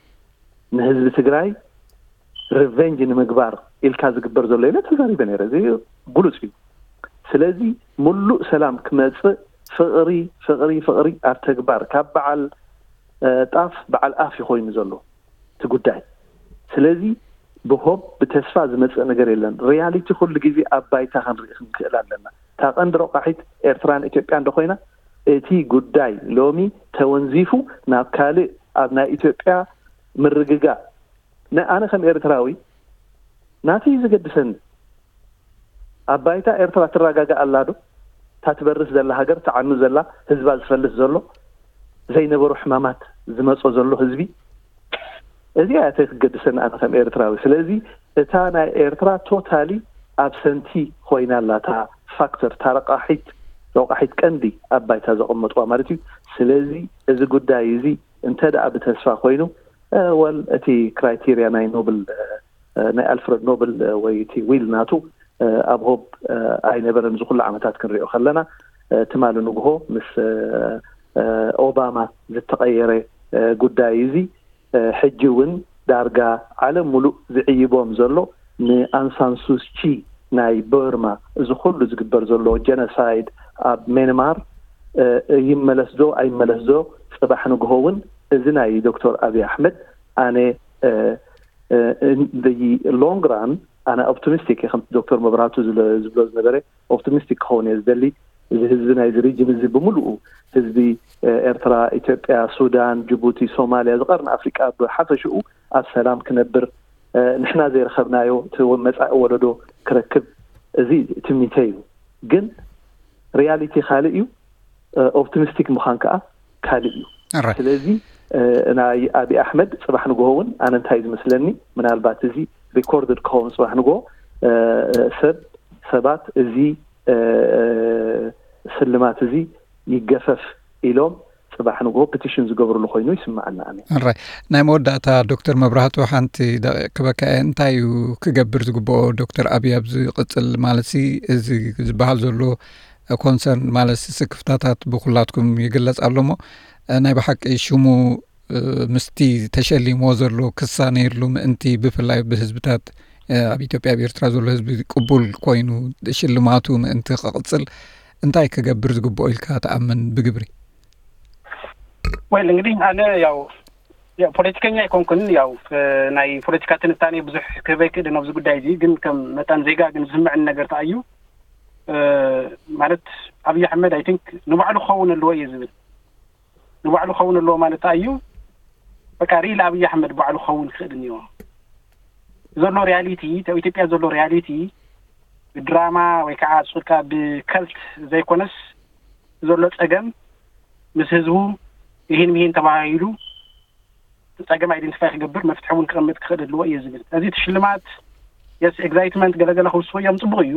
ንህዝቢ ትግራይ ሪቨንጅ ንምግባር ኢልካ ዝግበር ዘሎ ኢለ ተዛሪበ ነይረ። እዚ ግሉፅ እዩ። ስለዚ ምሉእ ሰላም ክመፅእ ፍቕሪ ፍቕሪ ፍቕሪ ኣብ ተግባር ካብ በዓል ጣፍ በዓል ኣፍ እዩ ኮይኑ ዘሎ እቲ ጉዳይ። ስለዚ ብሆብ ብተስፋ ዝመፅእ ነገር የለን። ሪያሊቲ ኩሉ ግዜ ኣብ ባይታ ክንርኢ ክንክእል ኣለና። እታ ቀንዲ ረቋሒት ኤርትራን ኢትዮጵያ እንዶ ኮይና እቲ ጉዳይ ሎሚ ተወንዚፉ ናብ ካልእ ኣብ ናይ ኢትዮጵያ ምርግጋእ ኣነ ከም ኤርትራዊ ናተይ እዩ ዘገድሰኒ። ኣብ ባይታ ኤርትራ ትረጋጋእ ኣላ ዶ? እታ ትበርስ ዘላ ሃገር፣ ትዓኑ ዘላ፣ ህዝባ ዝፈልስ ዘሎ፣ ዘይነበሩ ሕማማት ዝመጾ ዘሎ ህዝቢ፣ እዚኣ እያ ክትገድሰና ኣነ ከም ኤርትራዊ። ስለዚ እታ ናይ ኤርትራ ቶታሊ ኣብሰንቲ ኮይና ኣላ፣ እታ ፋክተር፣ እታ ረቃሒት፣ ረቃሒት ቀንዲ ኣብ ባይታ ዘቐመጥዋ ማለት እዩ። ስለዚ እዚ ጉዳይ እዚ እንተ ደኣ ብተስፋ ኮይኑ፣ እ፣ ወል እቲ ክራይቴርያ ናይ ኖብል፣ እ፣ ናይ ኣልፍረድ ኖብል፣ እ፣ ወይ እቲ ዊል ናቱ፣ እ፣ ኣብ ሆብ፣ እ፣ ኣይነበረን። እዚ ኩሉ ዓመታት ክንሪኦ ከለና፣ እ፣ ትማሊ ንግሆ ምስ፣ እ፣ እ፣ ኦባማ ዝተቐየረ፣ እ፣ ጉዳይ እዚ፣ እ፣ ሕጂ እውን ዳርጋ ዓለም ሙሉእ ዝዕይቦም ዘሎ ንኣንሳን ሱቺ ናይ በርማ፣ እዚ ኩሉ ዝግበር ዘሎ ጀኖሳይድ ኣብ ሜንማር፣ እ፣ ይመለስ ዶ ኣይመለስ ዶ፣ ጽባሕ ንግሆ እውን እዚ ናይ ዶክተር ኣብይ ኣሕመድ ኣነ፣ እ፣ እ፣ in the long run ኣነ ኦፕቲሚስቲክ እየ። ከም ዶክተር መብራህቱ ዝለ-፣ ዝብሎ ዝነበረ ኦፕቲሚስቲክ ክኸውን እየ ዝደሊ። እዚ ህዝቢ ናይዚ ሪጅን እዚ ብምሉኡ ህዝቢ፣ እ፣ ኤርትራ፣ ኢትዮጵያ፣ ሱዳን፣ ጅቡቲ፣ ሶማልያ፣ ዝቐርኒ ኣፍሪቃ ብሓፈሽኡ ኣብ ሰላም ክነብር፣ እ፣ ንሕና ዘይረኸብናዮ እቲ ወ-፣ መጻኢ ወለዶ ክረክብ፣ እዚ ትምኒተይ እዩ። ግን ሪያሊቲ ካልእ እዩ፣ እ፣ ኦፕቲሚስቲክ ምዃን ከኣ ካልእ እዩ። ኣረ ስለዚ፣ እ፣ ናይ ኣብይ ኣሕመድ ጽባሕ ንግሆ እውን ኣነ እንታይ ዝመስለኒ፣ ምናልባት እዚ ሪኮርድድ ክኸውን ጽባሕ ንግሆ፣ እ፣ ሰብ፣ ሰባት እዚ፣ እ፣ ስልማት እዚ ይገፈፍ ኢሎም ጽባሕ ንግሆ ፒቲሽን ዝገብርሉ ኮይኑ ይስምዓና ኣነ። ኣራይ ናይ መወዳእታ ዶክተር መብራህቱ ሓንቲ ደቂቕ ክበካ እየ። እንታይ እዩ ክገብር ዝግብኦ ዶክተር ኣብይ ኣብ ዝቕጽል ማለት ሲ እዚ ዝበሃል ዘሎ ኮንሰርን ማለት ስክፍታታት ብኩላትኩም ይግለጽ ኣሎ እሞ፣ እ፣ ናይ ብሓቂ ሽሙ፣ እ፣ ምስቲ ተሸሊምዎ ዘሎ ክሳነ የድሉ ምእንቲ ብፍላይ ብህዝብታት፣ እ፣ ኣብ ኢትዮጵያ ኣብ ኤርትራ ዘሎ ህዝቢ ቅቡል ኮይኑ ሽልማቱ ምእንቲ ክቕጽል እንታይ ክገብር ዝግብኦ ኢልካ ትኣምን ብግብሪ? ወይል እንግዲህ ኣነ ያው ያው ፖለቲከኛ ኣይኮንኩን። ያው እ፣ ናይ ፖለቲካ ትንታኔ ብዙሕ ክህብ ኣይክእልን ኣብዚ ጉዳይ እዚ፣ ግን ከም መጠን ዜጋ ግን ዝስምዕን ነገር ተኣዩ እ፣ ማለት ኣብይ ኣሕመድ ኣይ ቲንክ ንባዕሉ ክኸውን ኣለዎ እየ ዝብል። ንባዕሉ ክኸውን ኣለዎ ማለት ተኣዩ በቃ ሪል ኣብይ ኣሕመድ ባዕሉ ክኸውን ክኽእል እኒዎ። ዘሎ ሪያሊቲ፣ ኣብ ኢትዮጵያ ዘሎ ሪያሊቲ ብድራማ ወይ ከዓ ሱልካ ብከልት ዘይኮነስ ዘሎ ጸገም ምስ ህዝቡ ይህን ምሂን ተባሂሉ ጸገም ኣይደንቲፋይ ክገብር መፍትሒ እውን ክቐምጥ ክኽእል ኣለዎ እየ ዝብል። እዚ እቲ ሽልማት የስ ኤግዛይትመንት ገለገለ ክውስኹ እዮም፣ ጽቡቕ እዩ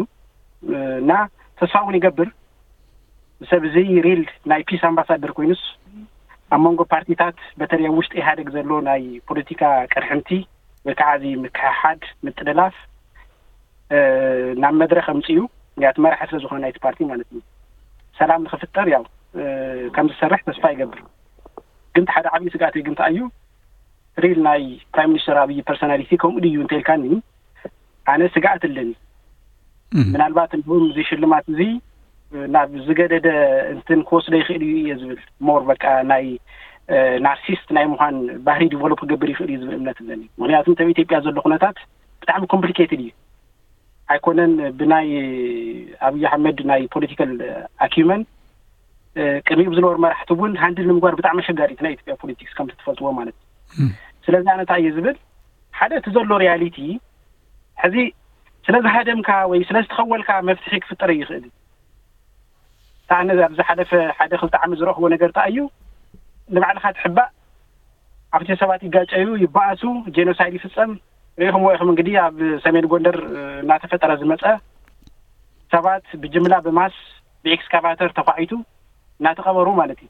እና ተስፋ እውን ይገብር። ሰብ እዚ ሪል ናይ ፒስ ኣምባሳደር ኮይኑስ ኣብ መንጎ ፓርቲታት በተለይ ኣብ ውሽጢ ኢህኣደግ ዘሎ ናይ ፖለቲካ ቅርሕንቲ ወይ ከዓ እዚ ምክሕሓድ ምጥልላፍ ናብ መድረክ ኣምፅኡ ያት መራሒ ስለ ዝኾነ ናይቲ ፓርቲ ማለት እዩ ሰላም ንክፍጠር ያው ከም ዝሰርሕ ተስፋ ይገብር። ግን ሓደ ዓብዪ ስግኣተይ ግን እንታይ እዩ ሪል ናይ ፕራይም ሚኒስተር ኣብይ ፐርሶናሊቲ ከምኡ ድዩ እንተልካኒ ኣነ ስግኣት ኣለኒ። ምናልባት እንዲሁም እዚ ሽልማት እዚ ናብ ዝገደደ እንትን ክወስዶ ይኽእል እዩ እየ ዝብል ሞር በቃ ናይ ናርሲስት ናይ ምዃን ባህሪ ዲቨሎፕ ክገብር ይኽእል እዩ ዝብል እምነት ኣለኒ። ምክንያቱ ኣብ ኢትዮጵያ ዘሎ ኩነታት ብጣዕሚ ኮምፕሊኬትድ እዩ። ኣይኮነን ብናይ ኣብይ ኣሕመድ ናይ ፖለቲካል ኣኪመን ቅድሚኡ ብዝነበሩ መራሕቲ እውን ሃንድል ንምግባር ብጣዕሚ ኣሸጋሪ እቲ ናይ ኢትዮጵያ ፖለቲክስ ከምቲ ትፈልጥዎ ማለት እዩ። ስለዚ ኣነ እንታይ እየ ዝብል ሓደ እቲ ዘሎ ሪያሊቲ ሕዚ ስለ ዝሃደምካ ወይ ስለ ዝተኸወልካ መፍትሒ ክፍጠር ይኽእል እዩ። ኣነ ኣብ ዝሓለፈ ሓደ ክልተ ዓመት ዝረኽቦ ነገር እንታይ እዩ ንባዕልኻ ትሕባእ ኣብቲ ሰባት ይጋጨዩ ይበኣሱ ጄኖሳይድ ይፍፀም ርኢኹምዎ ኢኹም እንግዲህ ኣብ ሰሜን ጎንደር እናተፈጠረ ዝመፀ ሰባት ብጅምላ ብማስ ብኤክስካቫተር ተኳዒቱ እናተቐበሩ ማለት እዩ።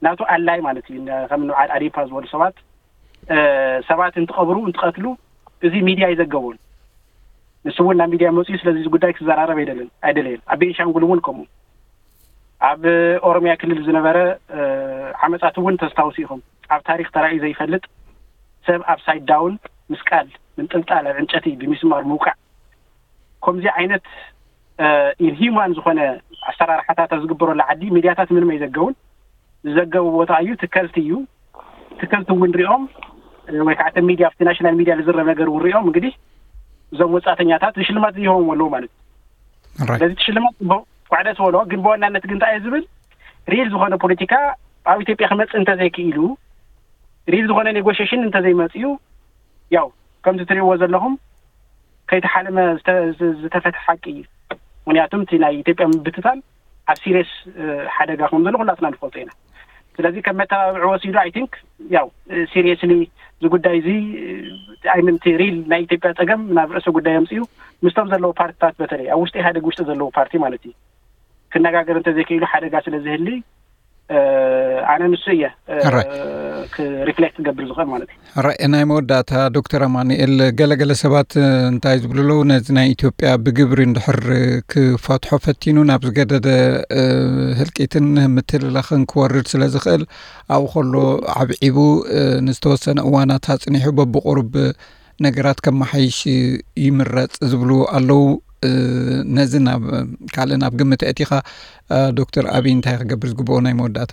ናቱ ኣላይ ማለት እዩ። ከም ንብዓል ኣዴፓ ዝበሉ ሰባት ሰባት እንትቐብሩ እንትቐትሉ እዚ ሚድያ ኣይዘገቦን። ንሱ እውን ናብ ሚድያ መፅኡ ስለዚ ጉዳይ ክዘራረብ ኣይደልን ኣይደለየን። ኣብ ቤንሻንጉል እውን ከምኡ ኣብ ኦሮሚያ ክልል ዝነበረ ዓመፃት እውን ተስታውሱ ኢኹም። ኣብ ታሪክ ተራእዩ ዘይፈልጥ ሰብ ኣብ ሳይድ ዳውን ምስቃል ምንጥልጣል ኣብ ዕንጨቲ ብሚስማር ምውቃዕ ከምዚ ዓይነት ኢንሂማን ዝኾነ ኣሰራርሓታት ኣብ ዝግበረሉ ዓዲ ሚድያታት ምንም ኣይዘገቡን። ዝዘገቡ ቦታ እዩ ትከልቲ እዩ። ትከልቲ እውን ሪኦም ወይ ከዓ ሚድያ ኣብቲ ናሽናል ሚድያ ዝዝረብ ነገር እውን ሪኦም እንግዲህ እዞም ወፃእተኛታት ሽልማት ዝይሆም ኣለዉ ማለት እዩ። ስለዚ ሽልማት ኳዕደ ዝበሎ ግን ብዋናነት ግን እንታይ ዝብል ሪል ዝኾነ ፖለቲካ ኣብ ኢትዮጵያ ክመፅእ እንተዘይክኢሉ ሪል ዝኾነ ኔጎሽሽን እንተዘይመፅኡ ያው ከምቲ ትሪእዎ ዘለኹም ከይተሓለመ ዝተፈትሐ ሓቂ እዩ። ምክንያቱም እቲ ናይ ኢትዮጵያ ምብትታን ኣብ ሲሪየስ ሓደጋ ከም ዘሎ ኩላትና ንፈልጦ ኢና። ስለዚ ከም መተባብዒ ወሲዱ፣ I think፣ ያው ሲሪየስሊ እዚ ጉዳይ እዚ፣ I mean፣ እቲ ሪል ናይ ኢትዮጵያ ጸገም ናብ ርእሰ ጉዳይ ኣምጺኡ ምስቶም ዘለዉ ፓርቲታት፣ በተለይ ኣብ ውሽጢ ኢህኣዴግ ውሽጢ ዘለዉ ፓርቲ ማለት እዩ፣ ክነጋገር እንተዘይክኢሉ ሓደጋ ስለ ዝህሊ፣ ኣነ ንሱ እየ ክሪፍሌክት ክገብር ዝኽእል ማለት እዩ። ራይ ናይ መወዳእታ፣ ዶክተር ኣማኑኤል፣ ገለገለ ሰባት እንታይ ዝብሉ ኣለዉ፣ ነዚ ናይ ኢትዮጵያ ብግብሪ እንድሕር ክፈትሖ ፈቲኑ ናብ ዝገደደ ህልቂትን ምትልላኽን ክወርድ ስለ ዝኽእል፣ ኣብኡ ከሎ ዓብዒቡ ንዝተወሰነ እዋናት ኣጽኒሑ በብቑሩብ ነገራት ከመሓይሽ ይምረጽ ዝብሉ ኣለዉ። ነዚ ናብ ካልእ ናብ ግምት ኣእቲኻ፣ ዶክተር ኣብይ እንታይ ክገብር ዝግብኦ ናይ መወዳእታ?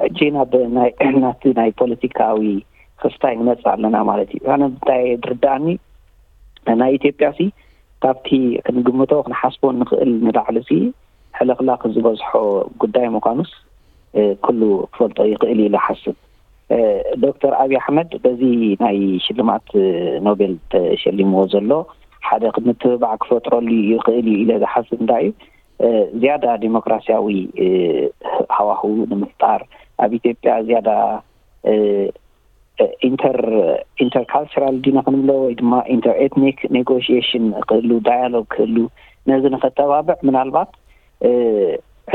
ሕጂ ናብ ናቲ ናይ ፖለቲካዊ ክስታይ ንመጽእ ኣለና ማለት እዩ። ኣነ እንታይ ድርዳኣኒ፣ ናይ ኢትዮጵያ ሲ ካብቲ ክንግምቶ ክንሓስቦ ንኽእል ንላዕሊ ሲ ሕልኽላኽ ዝበዝሖ ጉዳይ ምዃኑስ ኩሉ ክፈልጦ ይኽእል ኢለ ሓስብ። ዶክተር ኣብይ ኣሕመድ በዚ ናይ ሽልማት ኖቤል ተሸሊምዎ ዘሎ ሓደ ምትብባዕ ክፈጥረሉ ይኽእል እዩ ኢለ ዝሓስብ እንታይ እዩ፣ ዝያዳ ዲሞክራሲያዊ ሃዋህው ንምፍጣር፣ ኣብ ኢትዮጵያ ዝያዳ ኢንተር ኢንተርካልቸራል ዲና ክንብሎ ወይ ድማ ኢንተር ኤትኒክ ኔጎሽሽን ክህሉ፣ ዳያሎግ ክህሉ፣ ነዚ ንኸተባብዕ ምናልባት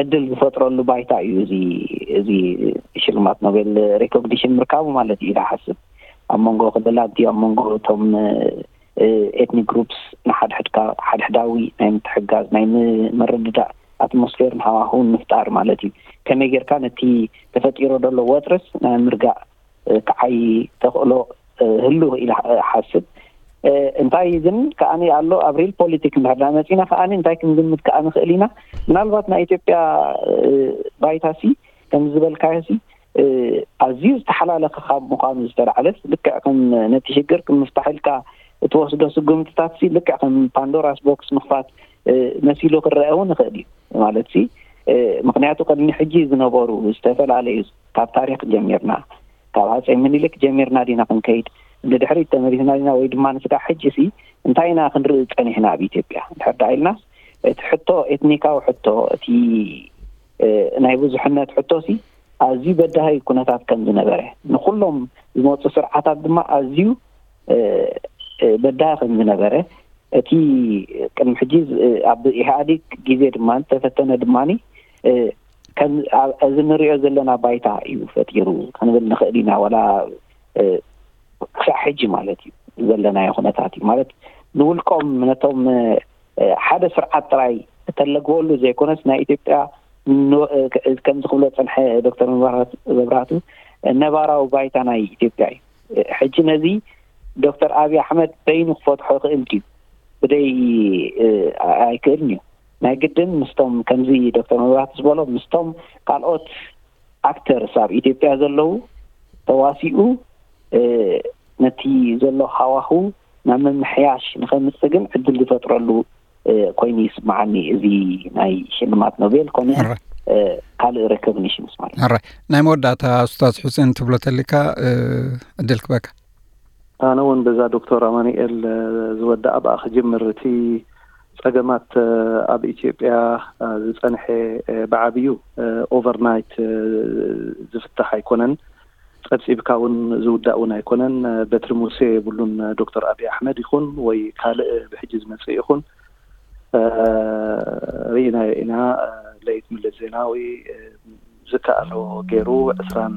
ዕድል ዝፈጥረሉ ባይታ እዩ እዚ እዚ ሽልማት ኖቤል ሬኮግኒሽን ምርካቡ ማለት እዩ። ዝሓስብ ኣብ መንጎ ክልላት ድዩ፣ ኣብ መንጎ እቶም ኤትኒክ ግሩፕስ ንሓድሕድካ ሓድሕዳዊ ናይ ምትሕጋዝ ናይ ምርድዳእ ኣትሞስፌርን ሃዋህውን ምፍጣር ማለት እዩ። ከመይ ጌርካ ነቲ ተፈጢሮ ዘሎ ወጥርስ ናይ ምርጋእ ክዓይ ተኽእሎ ህሉ ኢለ ሓስብ። እንታይ ግን ከኣ ኣሎ ኣብ ሪል ፖለቲክ እንድሕር መፂና ከኣ እንታይ ክንግምት ከኣ ንኽእል ኢና። ምናልባት ናይ ኢትዮጵያ ባይታሲ ከም ዝበልካዮሲ ኣዝዩ ዝተሓላለኸ ካብ ምዃኑ ዝተላዕለስ ልክዕ ከም ነቲ ሽግር ከም ምፍታሕ ኢልካ እትወስዶ ስጉምትታትሲ ልክዕ ከም ፓንዶራስ ቦክስ ምኽፋት መሲሉ ክረአ እውን ይኽእል እዩ። ማለት ሲ ምክንያቱ ቅድሚ ሕጂ ዝነበሩ ዝተፈላለዩ ካብ ታሪክ ጀሚርና ካብ ሃፀይ ምኒልክ ጀሚርና ዲና ክንከይድ ንድሕሪት ተመሊስና ዲና ወይ ድማ ንስጋ ሕጂ ሲ እንታይ ኢና ክንርኢ ፀኒሕና ኣብ ኢትዮጵያ ድሕር ዳ ኢልናስ እቲ ሕቶ ኤትኒካዊ ሕቶ እቲ ናይ ብዙሕነት ሕቶ ሲ ኣዝዩ በዳሂ ኩነታት ከም ዝነበረ ንኩሎም ዝመፁ ስርዓታት ድማ ኣዝዩ በዳሂ ከም ዝነበረ እቲ ቅድሚ ሕጂ ኣብ ኢህኣዴግ ግዜ ድማ ዝተፈተነ ድማ እዚ ንሪኦ ዘለና ባይታ እዩ ፈጢሩ ክንብል ንኽእል ኢና። ዋላ ክሳዕ ሕጂ ማለት እዩ ዘለናዮ ኩነታት እዩ ማለት ንውልቆም ነቶም ሓደ ስርዓት ጥራይ እተለግበሉ ዘይኮነስ ናይ ኢትዮጵያ ከምዚ ክብሎ ፀንሐ ዶክተር መብራህቱ ነባራዊ ባይታ ናይ ኢትዮጵያ እዩ። ሕጂ ነዚ ዶክተር ኣብይ ኣሕመድ በይኑ ክፈትሖ ይኽእል ድዩ? ብደይ ኣይክእልን እዩ። ናይ ግድን ምስቶም ከምዚ ዶክተር መብራህቱ ዝበሎ ምስቶም ካልኦት ኣክተርስ ኣብ ኢትዮጵያ ዘለዉ ተዋሲኡ ነቲ ዘሎ ሃዋሁ ናብ ምምሕያሽ ንኸምፅእ ግን ዕድል ዝፈጥረሉ ኮይኑ ይስምዓኒ እዚ ናይ ሽልማት ኖቤል ኮነ ካልእ ሬኮግኒሽንስ ማለት። ሕራይ ናይ መወዳእታ ኡስታዝ ሑሴን ትብሎ ተሊካ ዕድል ክበካ። ኣነ እውን በዛ ዶክተር ኣማኑኤል ዝወደኣ ብኣ ክጅምር እቲ ጸገማት ኣብ ኢትዮጵያ ዝጸንሐ ብዓብዩ ኦቨርናይት ዝፍታሕ ኣይኮነን። ጸብጺብካ እውን ዝውዳእ እውን ኣይኮነን። በትሪ ሙሴ የብሉን። ዶክተር ኣብይ ኣሕመድ ይኹን ወይ ካልእ ብሕጂ ዝመጽእ ይኹን ርኢናዮ ኢና። ለይት መለስ ዜናዊ ዝከኣሎ ገይሩ ዕስራን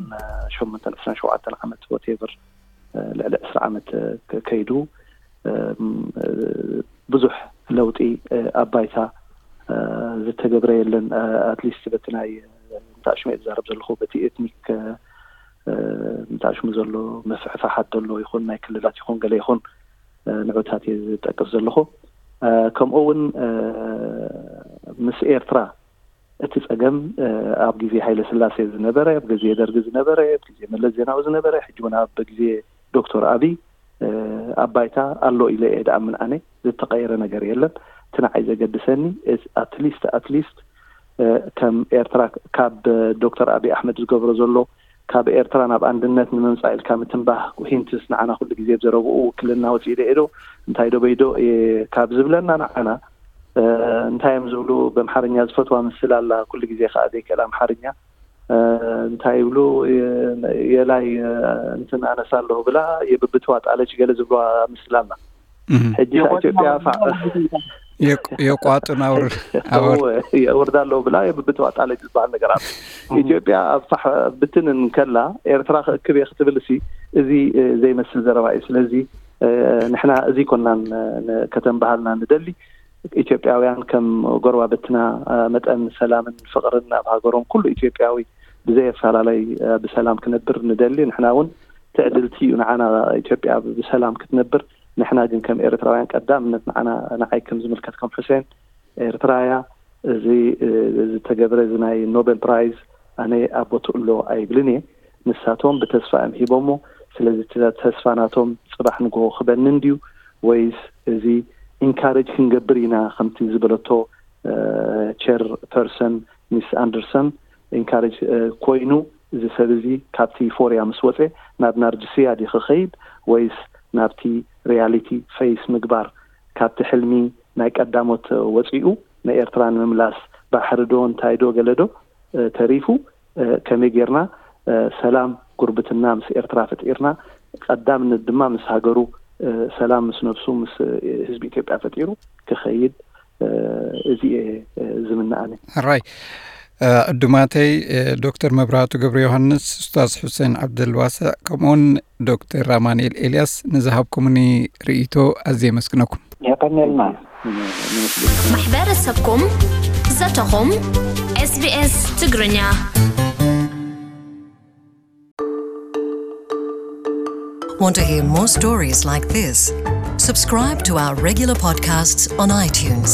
ሸሞንተን ዕስራን ሸውዓተን ዓመት ወቴቨር ልዕሊ ዕስራ ዓመት ከይዱ ብዙሕ ለውጢ ኣብ ባይታ ዝተገብረ የለን። ኣትሊስት በቲ ናይ እንታሽመ ዝዛረብ ዘለኹ በቲ ኤትኒክ እንታሽሙ ዘሎ ምፍሕፋሓት ዘሎ ይኹን ናይ ክልላት ይኹን ገለ ይኹን ንዑታት እየ ዝጠቅስ ዘለኹ። ከምኡ እውን ምስ ኤርትራ እቲ ጸገም ኣብ ግዜ ሃይለ ስላሴ ዝነበረ፣ ኣብ ግዜ ደርጊ ዝነበረ፣ ኣብ ግዜ መለስ ዜናዊ ዝነበረ፣ ሕጂ እውን ኣብ ግዜ ዶክተር ኣብይ ኣብ ባይታ ኣሎ ኢለ እየ ድኣምን ኣነ። ዝተቐየረ ነገር የለን። እቲ ንዓይ ዘገድሰኒ ኣትሊስት ኣትሊስት ከም ኤርትራ ካብ ዶክተር ኣብይ ኣሕመድ ዝገብሮ ዘሎ ካብ ኤርትራ ናብ ኣንድነት ንምምፃእ ኢልካ ምትንባህ ሂንትስ ንዓና ኩሉ ግዜ ብዘረብኡ ውክልና ወፂኡ ዶ እንታይ ዶ በይዶ ካብ ዝብለና ንዓና እንታይ እዮም ዝብሉ? ብኣምሓርኛ ዝፈትዋ ምስል ኣላ፣ ኩሉ ግዜ ከዓ ዘይክእል ኣምሓርኛ እንታይ ይብሉ? የላይ እንትን ኣነሳ ኣለሁ ብላ የብብትዋ ጣለች ገለ ዝብልዋ ምስል ኣላ። ሕጂ ኢትዮጵያ የቋጥን ኣውርድ የውርዳ ኣለሁ ብላ የብብትዋ ጣለች ዝበሃል ነገር ኣሎ። ኢትዮጵያ ኣብ ፋሕ ብትን እንከላ ኤርትራ ክእክብ እየ ክትብል ሲ እዚ ዘይመስል ዘረባ እዩ። ስለዚ ንሕና እዚ ኮናን ከተንባሃልና ንደሊ። ኢትዮጵያውያን ከም ጎረባብትና መጠን ሰላምን ፍቕርን ኣብ ሃገሮም ኩሉ ኢትዮጵያዊ ብዘየፈላለይ ብሰላም ክነብር ንደሊ። ንሕና እውን ትዕድልቲ እዩ ንዓና ኢትዮጵያ ብሰላም ክትነብር። ንሕና ግን ከም ኤርትራውያን ቀዳምነት ንዓና ንዓይ ከም ዝምልከት ከም ሕሴን ኤርትራ እያ። እዚ ዝተገብረ እዚ ናይ ኖቤል ፕራይዝ ኣነ ኣብ ቦትኡ ኣሎ ኣይብልን እየ። ንሳቶም ብተስፋ እዮም ሂቦሞ። ስለዚ እቲ ተስፋ ናቶም ጽባሕ ንግሆ ክበንን ድዩ ወይስ እዚ ኢንካሬጅ ክንገብር ኢና ከምቲ ዝበለቶ ቸር ፐርሰን ሚስ ኣንደርሰን ኢንካሬጅ ኮይኑ እዚ ሰብ እዚ ካብቲ ዩፎርያ ምስ ወፀ ናብ ናርጅስያ ድዩ ክኸይድ ወይስ ናብቲ ሪያሊቲ ፌስ ምግባር ካብቲ ሕልሚ ናይ ቀዳሞት ወፂኡ ንኤርትራ ንምምላስ ባሕሪ ዶ እንታይ ዶ ገለ ዶ ተሪፉ ከመይ ጌርና ሰላም ጉርብትና ምስ ኤርትራ ፈጢርና ቀዳምነት ድማ ምስ ሃገሩ ሰላም ምስ ነብሱ ምስ ህዝቢ ኢትዮጵያ ፈጢሩ ክኸይድ እዚ እየ ዝምንኣኒ። ሕራይ ዕዱማተይ ዶክተር መብራህቱ ገብረ ዮሃንስ፣ ኡስታዝ ሑሴን ዓብደልዋስዕ ከምኡውን ዶክተር ኣማኑኤል ኤልያስ ንዝሃብኩምኒ ርእይቶ ኣዝየ የመስግነኩም። የቐንየልና። ማሕበረሰብኩም ዘተኹም ኤስቢኤስ ትግርኛ። Want to hear more stories like this? Subscribe to our regular podcasts on iTunes.